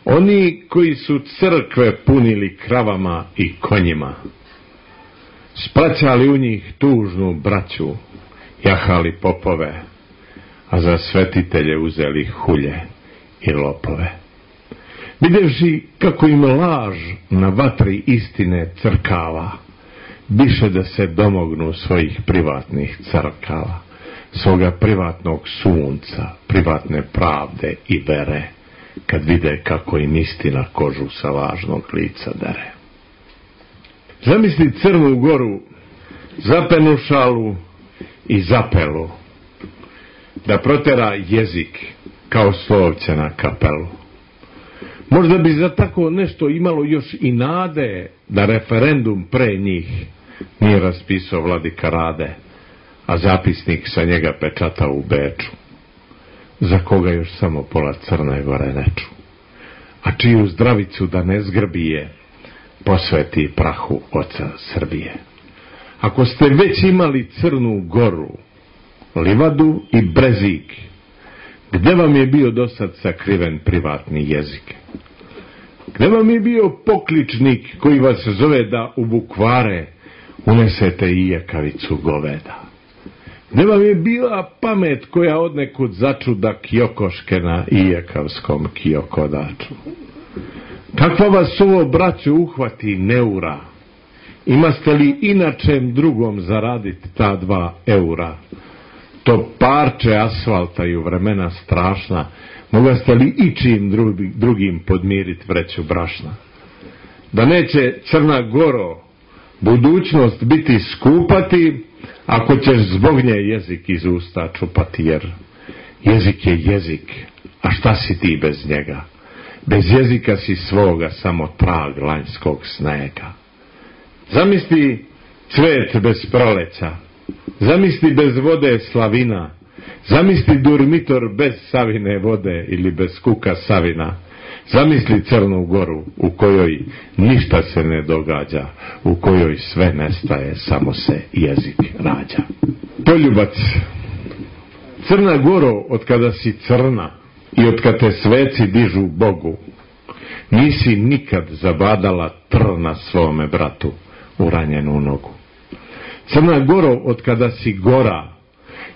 oni koji su crkve punili kravama i konjima, spraćali u njih tužnu braću, jahali popove, a za svetitelje uzeli hulje i lopove. Videvši kako im laž na vatri istine crkava, biše da se domognu svojih privatnih crkava, svoga privatnog sunca, privatne pravde i vere, kad vide kako im istina kožu sa lažnog lica dere. Zamisli Crnu Goru, zapenušalu i zapelu, da protera jezik kao slovće na kapelu. Možda bi za tako nešto imalo još i nade da referendum pre njih nije raspisao vladika Rade, a zapisnik sa njega pečata u Beču, za koga još samo pola Crne Gore ne ču, a čiju zdravicu da ne zgrbije posveti prahu oca Srbije. Ako ste već imali Crnu Goru, livadu i brezik, gde vam je bio dosad sakriven privatni jezik? Gde vam je bio pokličnik koji vas zove da u bukvare unesete i jekavicu goveda? Gde vam je bila pamet koja odnekud začuda kjokoške na ijekavskom kjokodaču? Kakva vas ovo, braćo, uhvati neura? Imaste li inačem drugom zaraditi ta 2 eura? To parče asfalta i u vremena strašna, mogaste li ičim drugim podmiriti vreću brašna? Da neće, Crna Goro, budućnost biti skupati, ako ćeš zbog nje jezik iz usta čupati, jer jezik je jezik, a šta si ti bez njega? Bez jezika si svoga samo trag lanjskog snega. Zamisli cvet bez proleća, Zamisli bez vode slavina, zamisli Durmitor bez Savine vode ili bez Kuka Savina. Zamisli Crnu Goru u kojoj ništa se ne događa, u kojoj sve nestaje, samo se jezik rađa. Poljubac. Crna Goro, od kada si crna i od kada te sveci dižu Bogu, nisi nikad zabadala trna svome bratu u ranjenu nogu. Crna Goro, od kada si gora,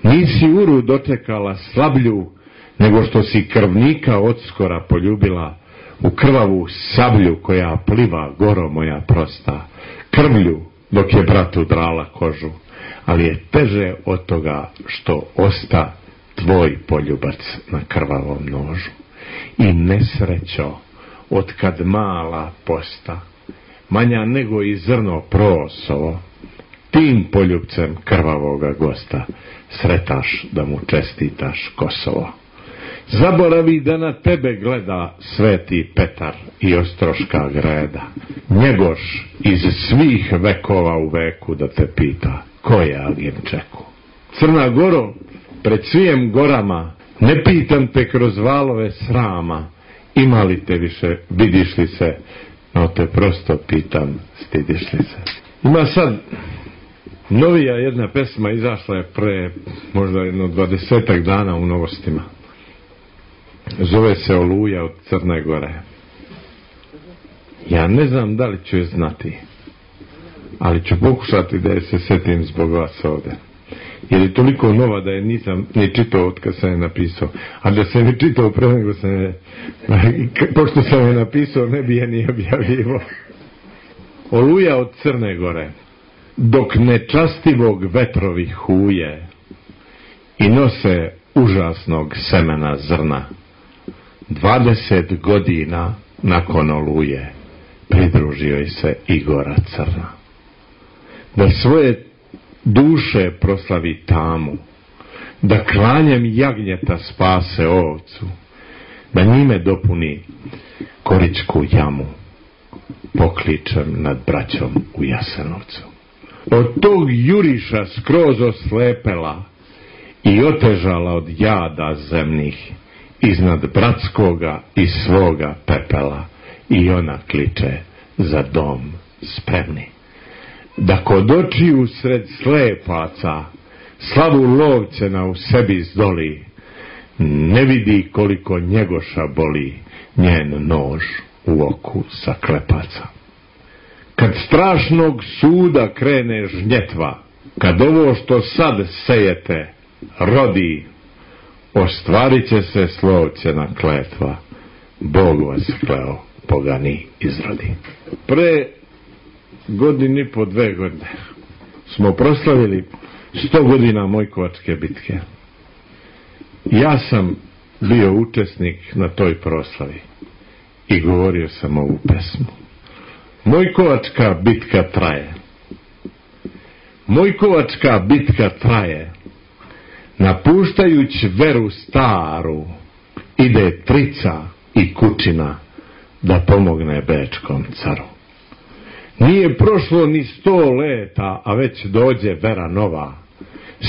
nisi uru dočekala slablju, nego što si krvnika odskora poljubila u krvavu sablju koja pliva, Goro moja prosta, krvlju dok je bratu drala kožu, ali je teže od toga što osta tvoj poljubac na krvavom nožu. I nesrećo, od kad mala posta, manja nego i zrno prosovo, tim poljubcem krvavoga gosta sretaš da mu čestitaš Kosovo. Zaboravi da na tebe gleda Sveti Petar i Ostroška greda, Njegoš iz svih vekova u veku da te pita ko je Aginčeku. Crna Goro, pred svijem gorama, ne pitam te kroz valove srama, ima li te više, vidiš li se, no te prosto pitam, stidiš li se. Ima sad novija jedna pesma, izašla je pre možda jedno 20 dana u Novostima. Zove se Oluja od Crne Gore. Ja ne znam da li ću je znati, ali ću pokušati da je se setim zbog vas ovde. Jer je toliko nova da je nisam ni čitao od kad sam je napisao. A da sam je čitao pre nego sam je, pošto sam je napisao, ne bi je ni objavljivo. Oluja od Crne Gore. Dok nečastivog vetrovi huje i nose užasnog semena zrna, 20 godina nakon Oluje pridružio je se i Gora Crna. Da svoje duše proslavi tamu, da klanjem jagnjeta spase ovcu, da njime dopuni Koričku jamu, pokličem nad braćom u Jasenovcu. Od tog juriša skroz oslepela i otežala od jada zemnih, iznad bratskoga i svoga pepela, i ona kliče za dom spremni. Da kod očiju sred slepaca slavu lovcena u sebi zdoli, ne vidi koliko Njegoša boli njen nož u oku sa klepaca. Kad strašnog suda krene žnjetva, kad ovo što sad sejete rodi, ostvarit će se slovcena kletva, Bog vas kleo, pogani izrodi. Pre godinu i po 2 godine smo proslavili 100 godina Mojkovačke bitke. Ja sam bio učesnik na toj proslavi i govorio sam ovu pesmu. Mojkovačka bitka traje. Mojkovačka bitka traje. Napuštajući veru staru, ide Trica i Kučina da pomogne Bečkom caru. Nije prošlo ni 100 leta, a već dođe vera nova.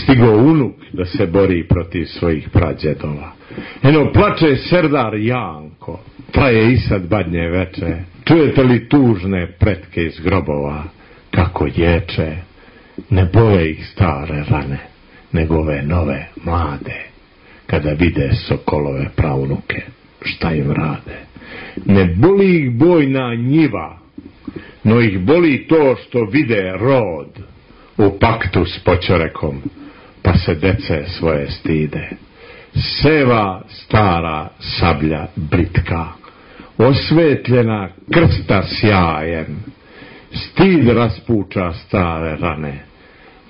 Stigo unuk da se bori protiv svojih prađedova. Eno plače serdar Janko, traje i sad badnje veče. Čujete li tužne pretke iz grobova, kako ječe? Ne bole ih stare rane, nego ove nove, mlade, kada vide sokolove praunuke, šta im rade. Ne boli ih bojna njiva, no ih boli to što vide rod u paktu s Poćorekom, pa se dece svoje stide. Seva stara sablja britka, osvetljena krsta sjajem, stid raspuča stare rane.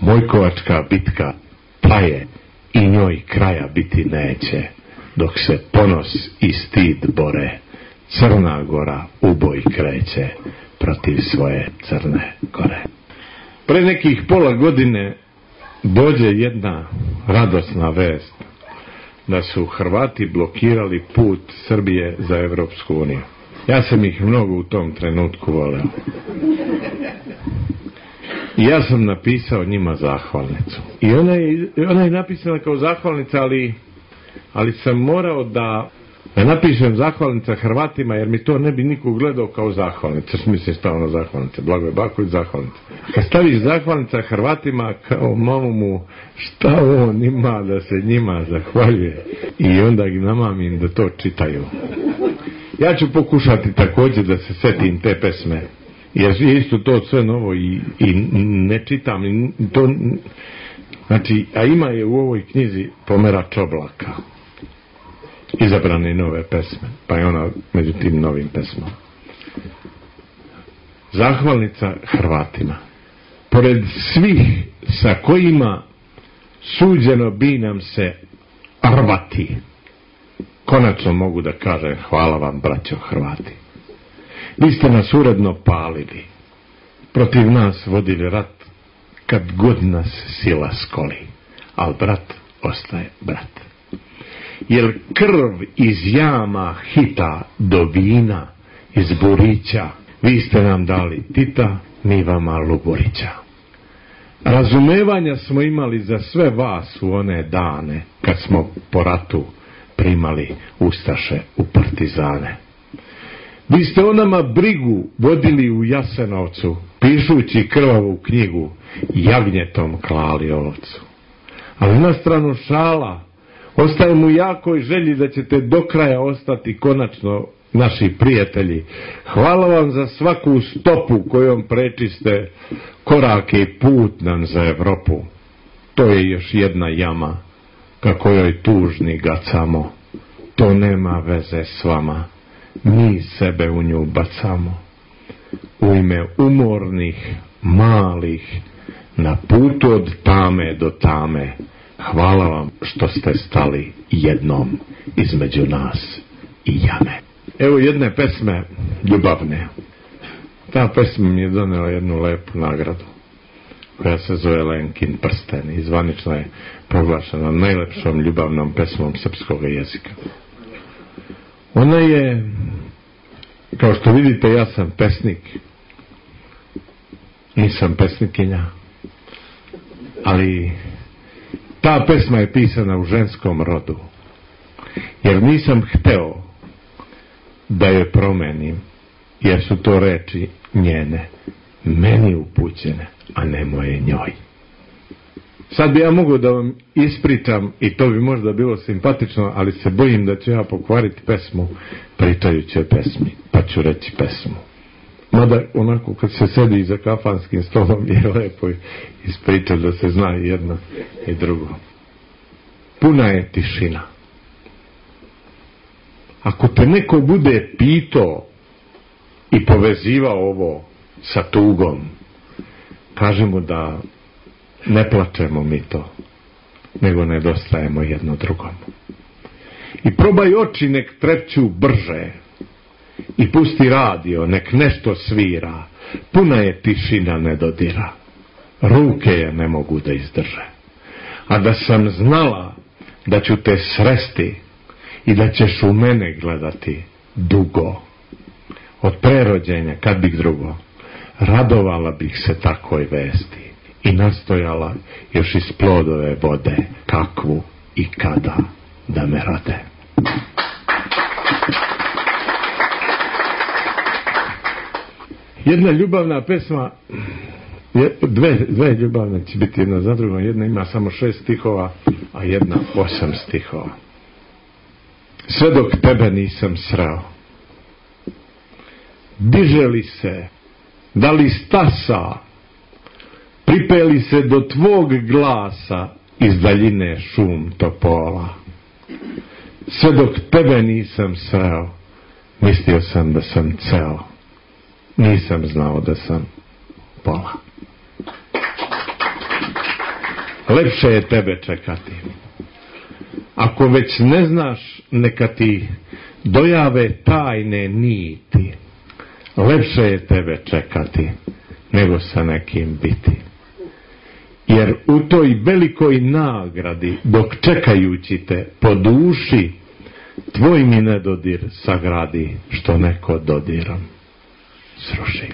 Mojkovačka bitka traje i njoj kraja biti neće, dok se ponos i stid bore, Crna Gora u boj kreće protiv svoje Crne Gore. Pre nekih pola godine dođe jedna radosna vest da su Hrvati blokirali put Srbije za Evropsku uniju. Ja sam ih mnogo u tom trenutku voleo. I ja sam napisao njima zahvalnicu. I ona je napisana kao zahvalnica, ali sam morao da napišem zahvalnica Hrvatima, jer mi to ne bi niko gledao kao zahvalnica. Mislim stavno zahvalnica, Blagoje Baković zahvalnica. Kad staviš zahvalnica Hrvatima, kao mamu, šta on ima da se njima zahvaljuje? I onda ih namamim da to čitaju. Ja ću pokušati također da se setim te pesme, jer je isto to sve novo i ne čitam to, znači, a ima je u ovoj knjizi Pomerač oblaka, izabrane nove pesme, pa je ona među tim novim pesmama. Zahvalnica Hrvatima. Pored svih sa kojima suđeno bi nam se rvati, konačno mogu da kažem hvala vam, braćo Hrvati. Vi ste nas uredno palili, protiv nas vodili rat, kad god nas sila skoli, al brat ostaje brat. Jer krv iz jama hita do vina, iz burića, vi ste nam dali Tita, mi vama Luburića. Razumevanja smo imali za sve vas u one dane, kad smo po ratu primali ustaše u partizane. Vi ste o nama brigu vodili u Jasenovcu, pišući krvavu knjigu, jagnjetom klali ovcu. Ali na stranu šala, ostajem u jakoj želji da ćete do kraja ostati konačno naši prijatelji. Hvala vam za svaku stopu kojom prečiste korake i put nam za Evropu. To je još jedna jama, ka kojoj tužni gacamo. To nema veze s vama, mi sebe u nju bacamo. U ime umornih, malih, na putu od tame do tame, hvala vam što ste stali jednom između nas i jame. Evo jedne pesme ljubavne. Ta pesma mi je donela jednu lepu nagradu, koja se zove Lenkin prsten i zvanično je proglašena najlepšom ljubavnom pesmom srpskog jezika. Ona je, kao što vidite, ja sam pesnik, nisam pesnikinja, ali ta pesma je pisana u ženskom rodu, jer nisam hteo da je promenim, jer su to reči njene, meni upućene, a ne moje njoj. Sad bi ja mogao da vam ispričam i to bi možda bilo simpatično, ali se bojim da ću ja pokvariti pesmu pričajući o pesmi, pa ću reći pesmu. Mada onako kad se sedi za kafanskim stolom je lepo ispričati da se zna i jedno i drugo. Puna je tišina. Ako te neko bude pitao i povezivao ovo sa tugom, kaži mu da ne plačemo mi to, nego nedostajemo jedno drugom. I probaj oči nek trepću brže i pusti radio, nek nešto svira, puna je tišina ne dodira, ruke je ne mogu da izdrže. A da sam znala da ću te sresti i da ćeš u mene gledati dugo, od prerođenja, kad bih drugo, radovala bih se takvoj vesti i nastojala još iz plodove vode, kakvu i kada da me rade. Jedna ljubavna pesma, dve ljubavne će biti jedna za drugom, jedna ima samo 6 stihova, a jedna 8 stihova. Sve dok tebe nisam sreo, diže li se, da li stasa, pripeli se do tvog glasa iz daljine šum topola. Sve dok tebe nisam sreo, mislio sam da sam ceo, nisam znao da sam pola. Lepše je tebe čekati. Ako već ne znaš, neka ti dojave tajne niti. Lepše je tebe čekati nego sa nekim biti. Jer u toj velikoj nagradi, dok čekajući te po duši, tvoj mi nedodir sagradi, što neko dodirom sruši.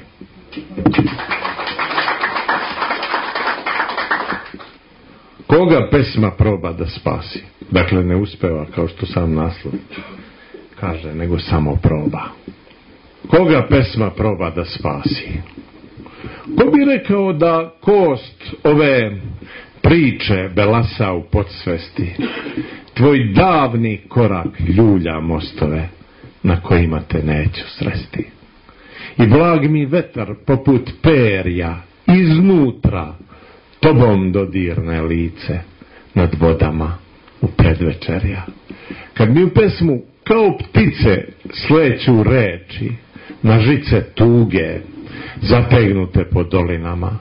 Koga pesma proba da spasi? Dakle, ne uspeva, kao što sam naslov kaže, nego samo proba. Koga pesma proba da spasi? Ko bi rekao da kost ove priče belasa u podsvesti, tvoj davni korak ljulja mostove na kojima te neću sresti. I blag mi vetar poput perja iznutra tobom dodirne lice nad vodama u predvečerja. Kad mi u pesmu kao ptice sleću reči na žice tuge zategnute po dolinama,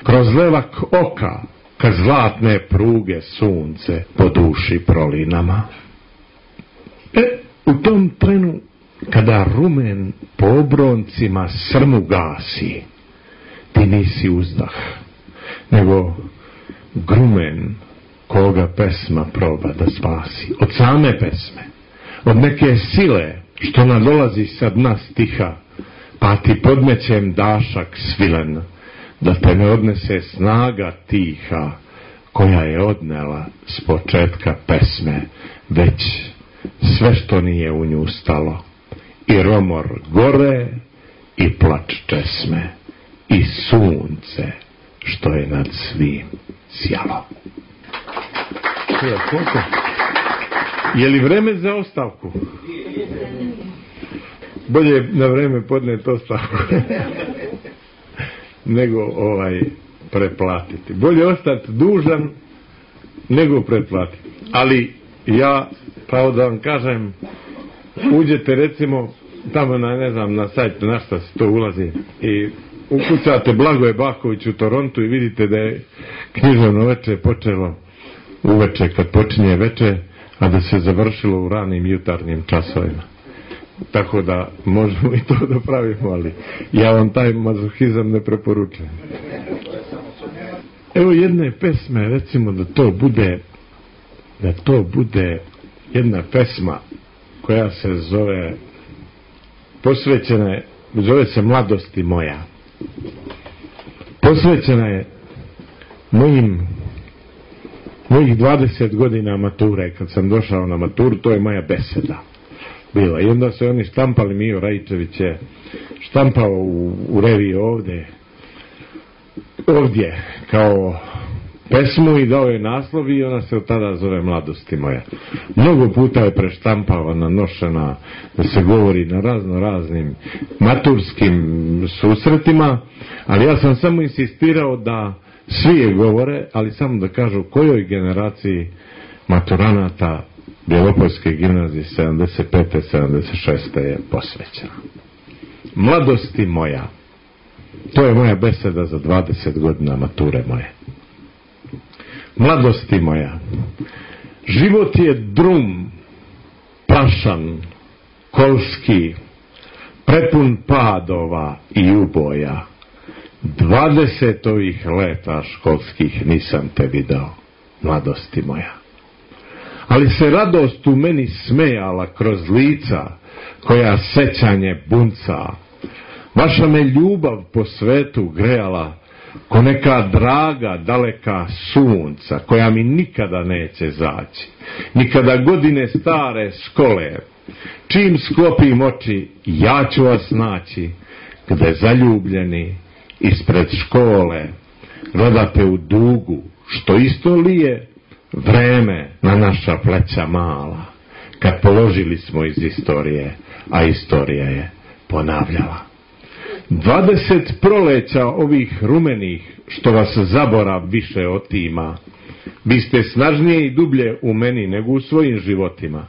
kroz levak oka kad zlatne pruge sunce po duši prolinama. U tom trenu kada rumen po obroncima srmu gasi, ti nisi uzdah, nego grumen koga pesma proba da spasi. Od same pesme, od neke sile što nadolazi sa dna stiha, pa ti podmećem dašak svilen, da te ne odnese snaga tiha koja je odnela s početka pesme već sve što nije u nju stalo, i romor gore i plač česme i sunce što je nad svim sjalo. Je li vreme za ostavku? Bolje na vreme podneti ostavku nego preplatiti. Bolje ostati dužan nego preplatiti. Ali ja, pravo da vam kažem, uđete recimo tamo na, ne znam, na sajt na šta se to ulazi i ukucate Blagoje Baković u Torontu i vidite da je književno veče počelo uveče kad počinje veče, a da se završilo u ranim jutarnjim časovima. Tako da možemo i to da pravimo, ali ja vam taj mazohizam ne preporučujem. Evo jedne pesme, recimo da to bude jedna pesma koja se zove, zove se Mladosti moja. Posvećena je mojih 20 godina mature. Kad sam došao na maturu, to je moja beseda bila. I onda se oni štampali, Mio Raičević je štampao u reviji ovdje kao pesmu i dao je naslov i ona se od tada zove Mladosti moja. Mnogo puta je preštampavana, nošena, da se govori na raznim maturskim susretima, ali ja sam samo insistirao da svi je govore, ali samo da kažu kojoj generaciji maturanata Bjelopoljske gimnazije 75. 76. je posvećena. Mladosti moja. To je moja beseda za 20 godina mature moje. Mladosti moja. Život je drum, prašan, kolski, prepun padova i uboja. 20 ovih leta školskih nisam te video, mladosti moja. Ali se radost u meni smejala kroz lica koja sećanje bunca. Vaša me ljubav po svetu grejala ko neka draga daleka sunca koja mi nikada neće zaći. Nikada godine stare škole. Čim sklopim oči, ja ću vas naći, gde zaljubljeni ispred škole gledate u dugu, što isto lije vreme na naša pleća mala, kad položili smo iz istorije, a istorija je ponavljala. 20 proleća ovih rumenih, što vas zaborav više otima, vi ste snažnije i dublje u meni nego u svojim životima.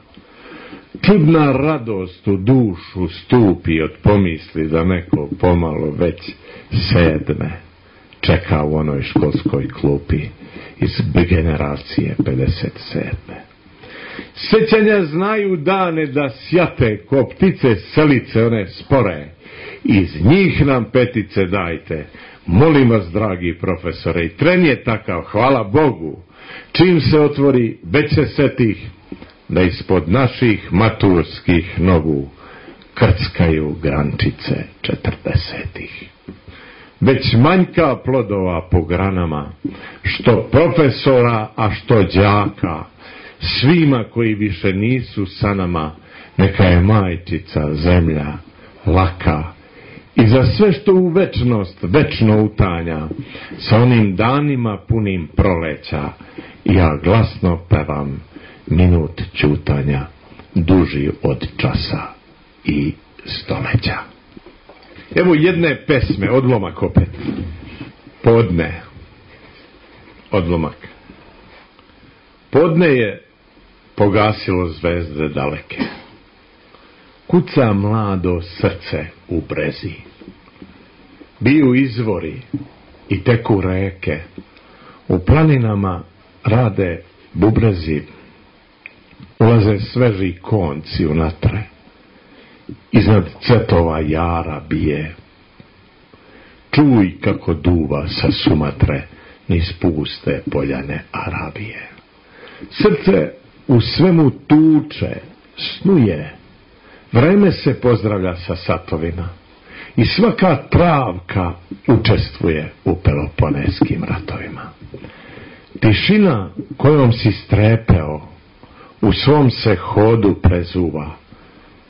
Čudna radost u dušu stupi od pomisli da neko pomalo već sedme čeka u onoj školskoj klupi iz generacije 57. Sećanja znaju dane da sjate ko ptice selice one spore. Iz njih nam petice dajte. Molim vas, dragi profesore, i tren je takav, hvala Bogu. Čim se otvori, već se setih da ispod naših maturskih nogu krckaju grančice 40-ih. već manjka plodova po granama, što profesora, a što đaka, svima koji više nisu sa nama, neka je majčica zemlja laka. I za sve što u večnost večno utanja, sa onim danima punim proleća, ja glasno pevam minut ćutanja, duži od časa i stoleća. Evo jedne pesme, odlomak opet. Podne. Odlomak. Podne je pogasilo zvezde daleke. Kuca mlado srce u brezi. Biju izvori i teku reke. U planinama rade bubrezi. Ulaze sveži konci u natre. Iznad cvetova jara bije. Čuj kako duva sa Sumatre niz puste poljane Arabije. Srce u svemu tuče, snuje. Vreme se pozdravlja sa satovima i svaka travka učestvuje u peloponeskim ratovima. Tišina kojom si strepeo u svom se hodu prezuva,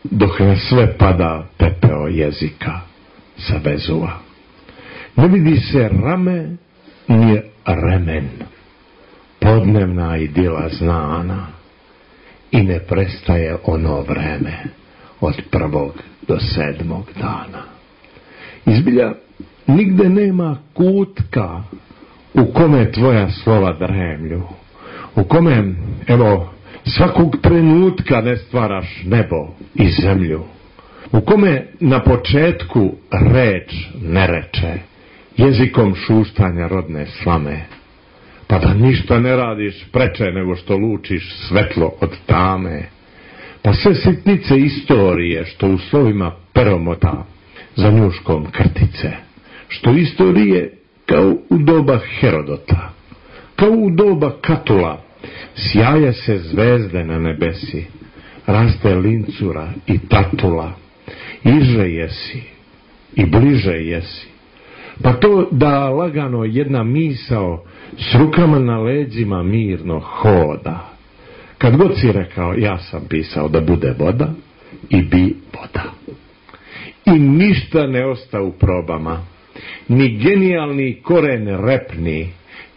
dok na sve pada pepeo jezika sa Vezuva. Ne vidi se rame ni remen, podnevna idila znana, i ne prestaje ono vreme od 1. do 7. dana. Izbilja nigde nema kutka u kome tvoja slova dremlju, u kome, evo, svakog trenutka ne stvaraš nebo i zemlju, u kome na početku reč ne reče, jezikom šuštanja rodne slame, pa da ništa ne radiš preče nego što lučiš svetlo od tame, pa sve sitnice istorije što u slovima peromota za njuškom krtice, što istorije kao u doba Herodota, kao u doba Katula, sjaje se zvezde na nebesi, raste lincura i tatula, iže jesi i bliže jesi, pa to da lagano jedna misao s rukama na leđima mirno hoda. Kad god si rekao, ja sam pisao da bude voda i bi voda. I ništa ne osta u probama, ni genijalni koren repni,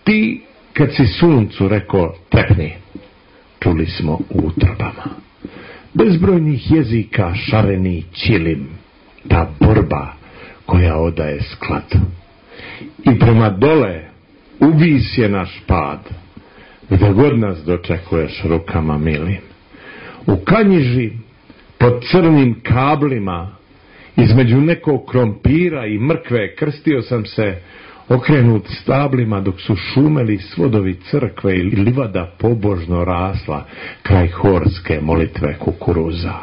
ti kad si suncu rekao trepni, čuli smo u utrobama. Bezbrojnih jezika šareni čilim, ta borba koja odaje sklad. I prema dole uvis je naš pad, gdje god nas dočekuješ rukama milim. U Kanjiži, pod crnim kablima, između nekog krompira i mrkve, krstio sam se okrenut stablima dok su šumeli svodovi crkve i livada pobožno rasla kraj horske molitve kukuruza.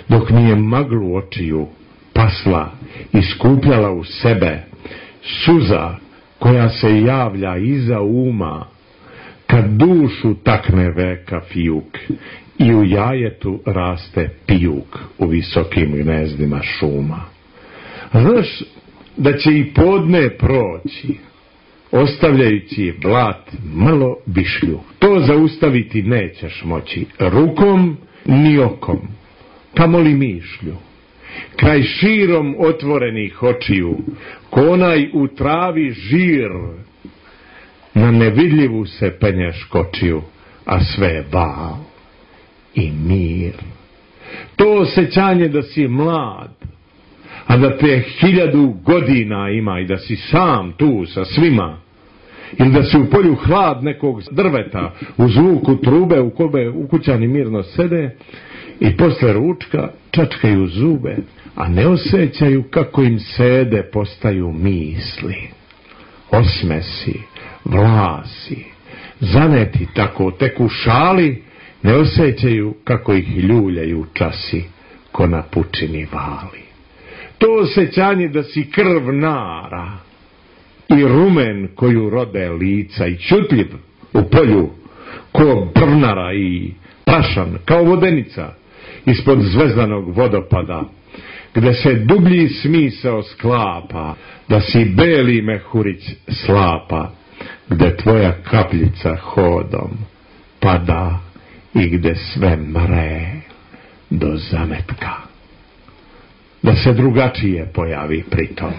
Dok mi je maglu očiju pasla i skupljala u sebe suza koja se javlja iza uma, kad dušu takne veka fijuk i u jajetu raste pijuk u visokim gnezdima šuma. Znaš da će i podne proći, ostavljajući blat malo višlju. To zaustaviti nećeš moći rukom ni okom, kamoli mišlju. Kraj širom otvorenih očiju, ko onaj u travi žir, na nevidljivu se penješ kočiju, a sve je val i mir. To osjećanje da si mlad, a da te 1000 godina ima i da si sam tu sa svima, ili da si u polju hlad nekog drveta u zvuku trube u kome ukućani mirno sede i posle ručka čačkaju zube, a ne osjećaju kako im sede postaju misli, osmesi, vlasi, zaneti tako tek u šali, ne osjećaju kako ih ljuljaju časi ko na pučini vali. To osjećanje da si krv nara i rumen koju rode lica i čutljiv u polju ko brnara i prašan kao vodenica ispod zvezdanog vodopada, gde se dublji smisao sklapa, da si beli mehurić slapa, gde tvoja kapljica hodom pada i gde sve mre do zametka. Da se drugačije pojavi pritom,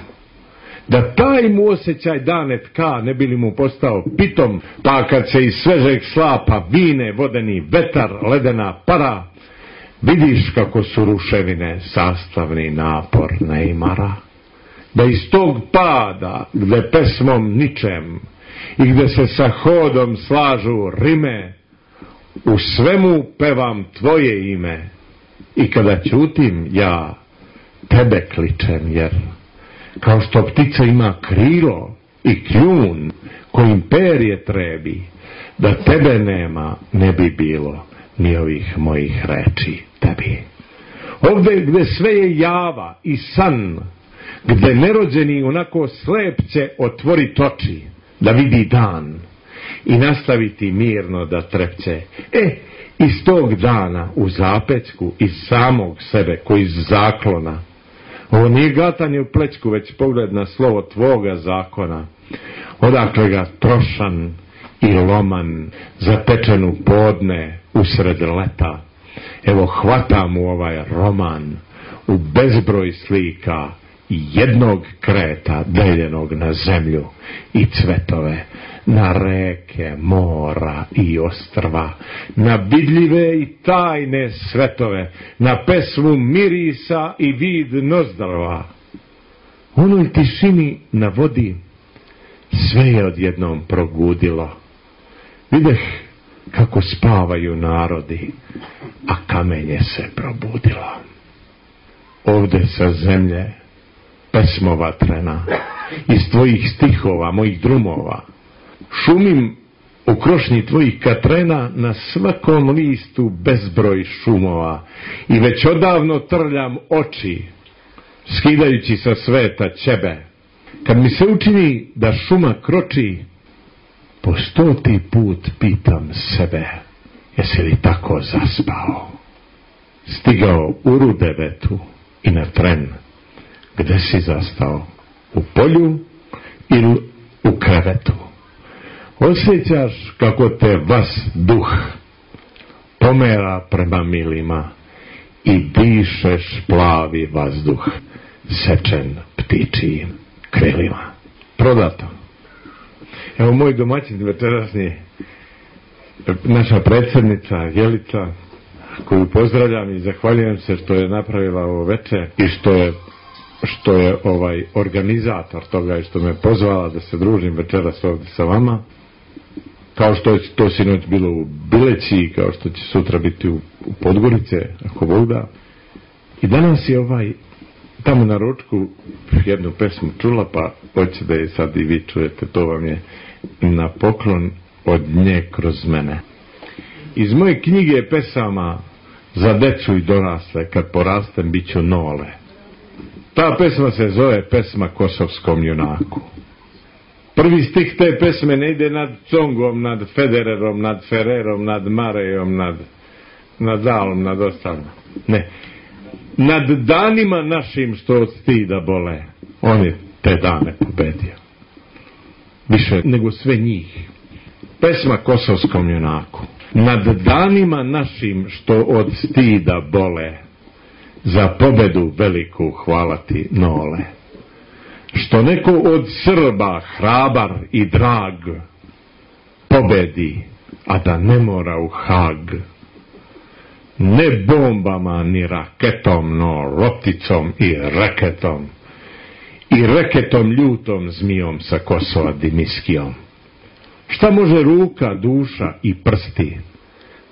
da taj mu osjećaj dane tka, ne bi li mu postao pitom, pa kad se iz svežeg slapa vine vodeni vetar, ledena para, vidiš kako su ruševine sastavni napor neimara, da iz tog pada, gde pesmom ničem i gde se sa hodom slažu rime, u svemu pevam tvoje ime i kada ćutim ja tebe kličem, jer kao što ptica ima krilo i kljun kojim perje trebi, da tebe nema ne bi bilo ni ovih mojih reči tebi. Ovde gde sve je java i san, gde nerođeni onako slep će otvorit oči da vidi dan i nastaviti mirno da trepće. Iz tog dana u zapećku iz samog sebe koji iz zaklona, ovo nije gatanje u plećku, već pogled na slovo tvoga zakona, odakle ga trošan i loman zatečenu podne usred leta, evo hvatam u ovaj roman u bezbroj slika i jednog kreta deljenog na zemlju i cvetove, na reke, mora i ostrva, na vidljive i tajne svetove, na pesmu mirisa i vid nozdrva. U onoj tišini na vodi sve je odjednom progudilo. Videh kako spavaju narodi, a kamenje se probudilo. Ovde sa zemlje pesmo vatrena, iz tvojih stihova, mojih drumova, šumim u krošnji tvojih katrena, na svakom listu bezbroj šumova i već odavno trljam oči, skidajući sa sveta ćebe. Kad mi se učini da šuma kroči, po 100. put pitam sebe, jesi li tako zaspao? Stigao u Rudevetu i na tren, gde si zastao? U polju ili u krevetu? Osjećaš kako te vas duh pomera prema milima i dišeš plavi vazduh sečen ptičijim krilima. Prodato. Evo moj domaćin večerasni, naša predsjednica Jelica, koju pozdravljam i zahvaljujem se što je napravila ovo veče i što je organizator toga i što me pozvala da se družim večeras ovdje sa vama. Kao što je to sinoć bilo u Bileći, kao što će sutra biti u Podgorice, ako Bog da. I danas je tamo na ručku jednu pesmu čula, pa hoće da je sad i vi čujete, to vam je na poklon od nje kroz mene. Iz moje knjige pesama za decu i dorasle, kad porastem bit ću nole. Ta pesma se zove pesma Kosovskom junaku. Prvi stih te pesme ne ide nad Congom, nad Federerom, nad Ferrerom, nad Marejom, nad Nadalom, nad ostalim. Ne. Nad danima našim što od stida bole, on je te dane pobedio. Više nego sve njih. Pesma Kosovskom junaku. Nad danima našim što od stida bole, za pobedu veliku hvala ti nole. Što neko od Srba hrabar i drag pobedi, a da ne mora u Hag. Ne bombama ni raketom, no lopticom i reketom. I reketom ljutom zmijom sa Kosova Dimiskijom. Šta može ruka, duša i prsti?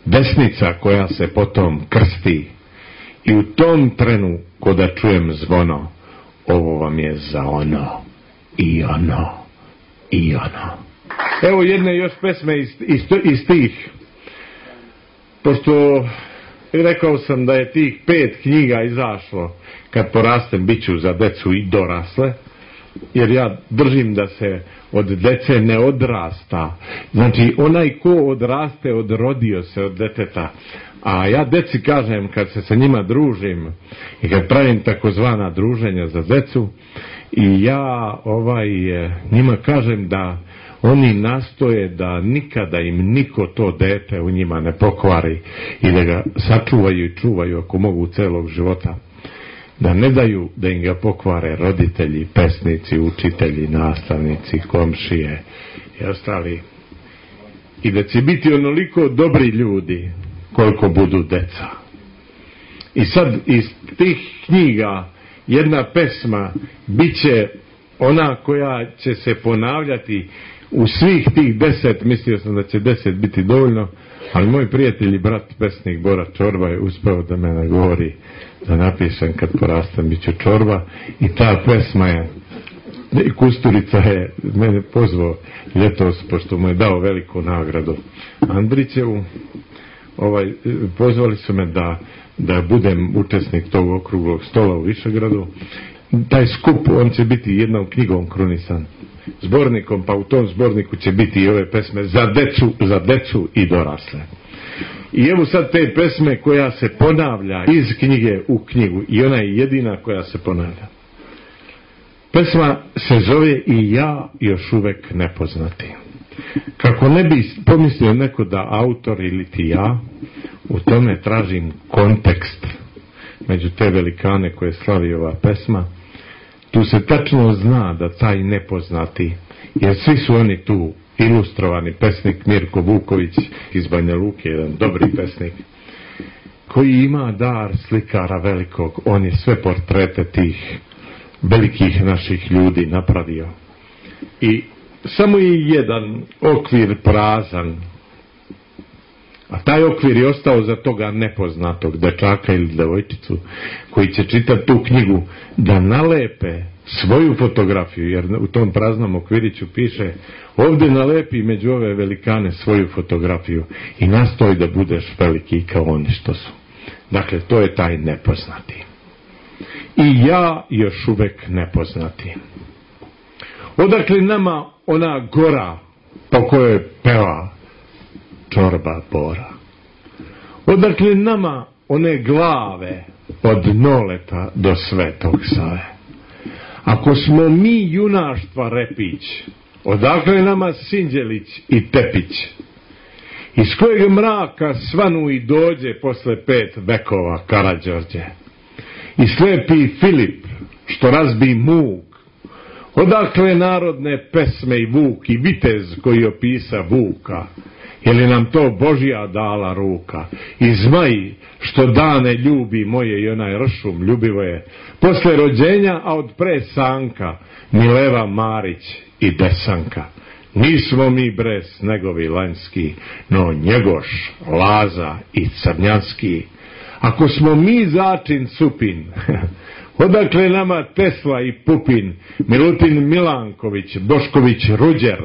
Desnica koja se potom krsti. I u tom trenu, ko da čujem zvono, ovo vam je za ono, i ono, i ono. Evo jedne još pesme iz tih. Pošto rekao sam da je tih 5 knjiga izašlo, kad porastem bit ću za decu i dorasle, jer ja držim da se od dece ne odrasta. Znači, onaj ko odraste, odrodio se od deteta. A ja deci kažem, kad se sa njima družim i kad pravim takozvana druženja za decu, i ja njima kažem da oni nastoje da nikada im niko to dete u njima ne pokvari i da ga sačuvaju i čuvaju ako mogu celog života. Da ne daju da im ga pokvare roditelji, pesnici, učitelji, nastavnici, komšije i ostali. I da će biti onoliko dobri ljudi koliko budu deca. I sad iz tih knjiga jedna pesma bit će ona koja će se ponavljati u svih tih 10, mislio sam da će 10 biti dovoljno, ali moj prijatelj i brat pesnik Bora Čorba je uspeo da me nagovori da napišem kad porastam bit ću Čorba, i ta pesma je, i Kusturica je mene pozvao ljetos, pošto mu je dao veliku nagradu Andrićevu, pozvali su me da budem učesnik tog okruglog stola u Višegradu. Taj skup, on će biti jednom knjigom krunisan, zbornikom, pa u tom zborniku će biti i ove pesme za decu i dorasle. I evo sad te pesme koja se ponavlja iz knjige u knjigu, i ona je jedina koja se ponavlja. Pesma se zove I ja još uvek nepoznati. Kako ne bi pomislio neko da autor ili ti ja, u tome tražim kontekst među te velikane koje slavi ova pesma. Tu se tačno zna da taj nepoznati, jer svi su oni tu ilustrovani, pesnik Mirko Vuković iz Banja Luke, jedan dobri pesnik, koji ima dar slikara velikog, on je sve portrete tih velikih naših ljudi napravio. I samo je jedan okvir prazan, a taj okvir je ostao za toga nepoznatog dečaka ili devojčicu koji će čitati tu knjigu da nalepe svoju fotografiju, jer u tom praznom okviriću piše ovdje nalepi među ove velikane svoju fotografiju i nastoj da budeš veliki kao oni što su. Dakle, to je taj nepoznati. I ja još uvek nepoznati. Odakle nama ona gora po kojoj peva Čorba Bora? Odakle nama one glave od Noleta do Svetog Save? Ako smo mi junaštva repić, odakle nama Sinđelić i Tepić? Iz kojeg mraka svanu i dođe posle 5 vekova Karađorđe? I slepi Filip što razbi muk? Odakle narodne pesme i Vuk i vitez koji opisa Vuka? Je li nam to Božja dala ruka? I zmaj što dane ljubi moje i onaj ršum ljubivo je posle rođenja, a od pre Sanka Mileva Marić i Desanka. Nismo mi bre snegovi lanjski, no Njegoš, Laza i Crnjanski. Ako smo mi začin Supin, odakle nama Tesla i Pupin, Milutin Milanković, Bošković Ruđer,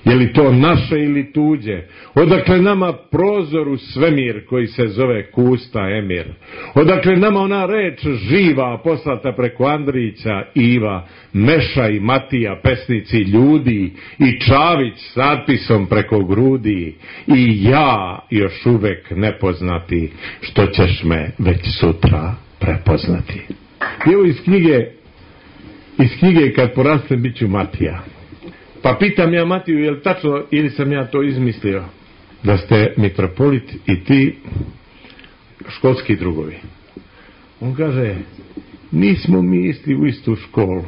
je li to naše ili tuđe? Odakle nama prozor u svemir koji se zove Kusta Emir? Odakle nama ona reč živa poslata preko Andrića, Iva, Meša i Matija, pesnici ljudi, i Čavić s natpisom preko grudi? I ja još uvek nepoznati, što ćeš me već sutra prepoznati. I evo iz knjige Kad porastem bit ću Matija. Pa pitam ja Matiju, je li tačno ili sam ja to izmislio, da ste mitropolit i ti školski drugovi? On kaže, nismo mi isti u istu školu,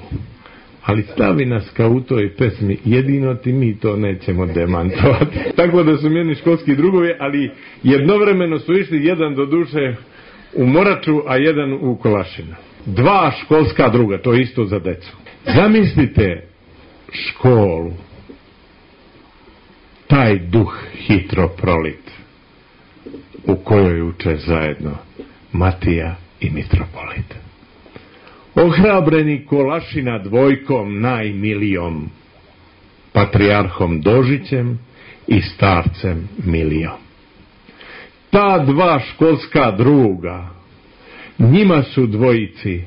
ali stavi nas kao u toj pesmi, jedino ti mi to nećemo demantovati. Tako da su meni školski drugovi, ali jednovremeno su išli, jedan do duše u Moraču, a jedan u Kolašinu. 2 školska druga, to je isto za decu. Zamislite školu, taj duh hitro prolit, u kojoj uče zajedno Matija i mitropolit. Ohrabreni Kolašina dvojkom najmilijom, patrijarhom Dožićem i starcem Milijom. Ta 2 školska druga, njima su dvojici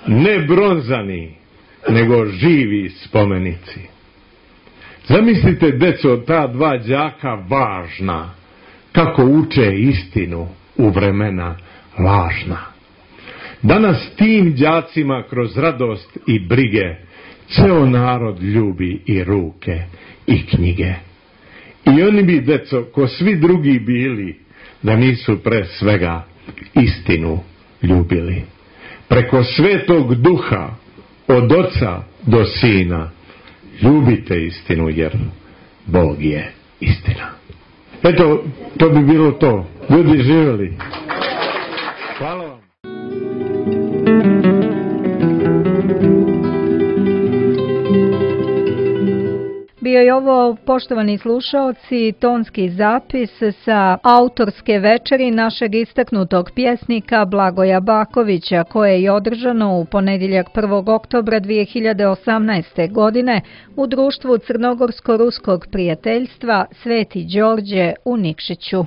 ne bronzani, nego živi spomenici. Zamislite, deco, ta 2 đaka važna, kako uče istinu u vremena lažna. Danas tim đacima kroz radost i brige ceo narod ljubi i ruke i knjige. I oni bi, deco, ko svi drugi bili, da nisu pre svega istinu ljubili. Preko Svetog Duha, od Oca do Sina, ljubite istinu, jer Bog je istina. Eto, to bi bilo to. Ljudi, živjeli. Hvala vam. Bio je ovo, poštovani slušaoci, tonski zapis sa autorske večeri našeg istaknutog pjesnika Blagoja Bakovića, koje je održano u ponedjeljak 1. oktobra 2018. godine u društvu Crnogorsko-ruskog prijateljstva Sveti Đorđe u Nikšiću.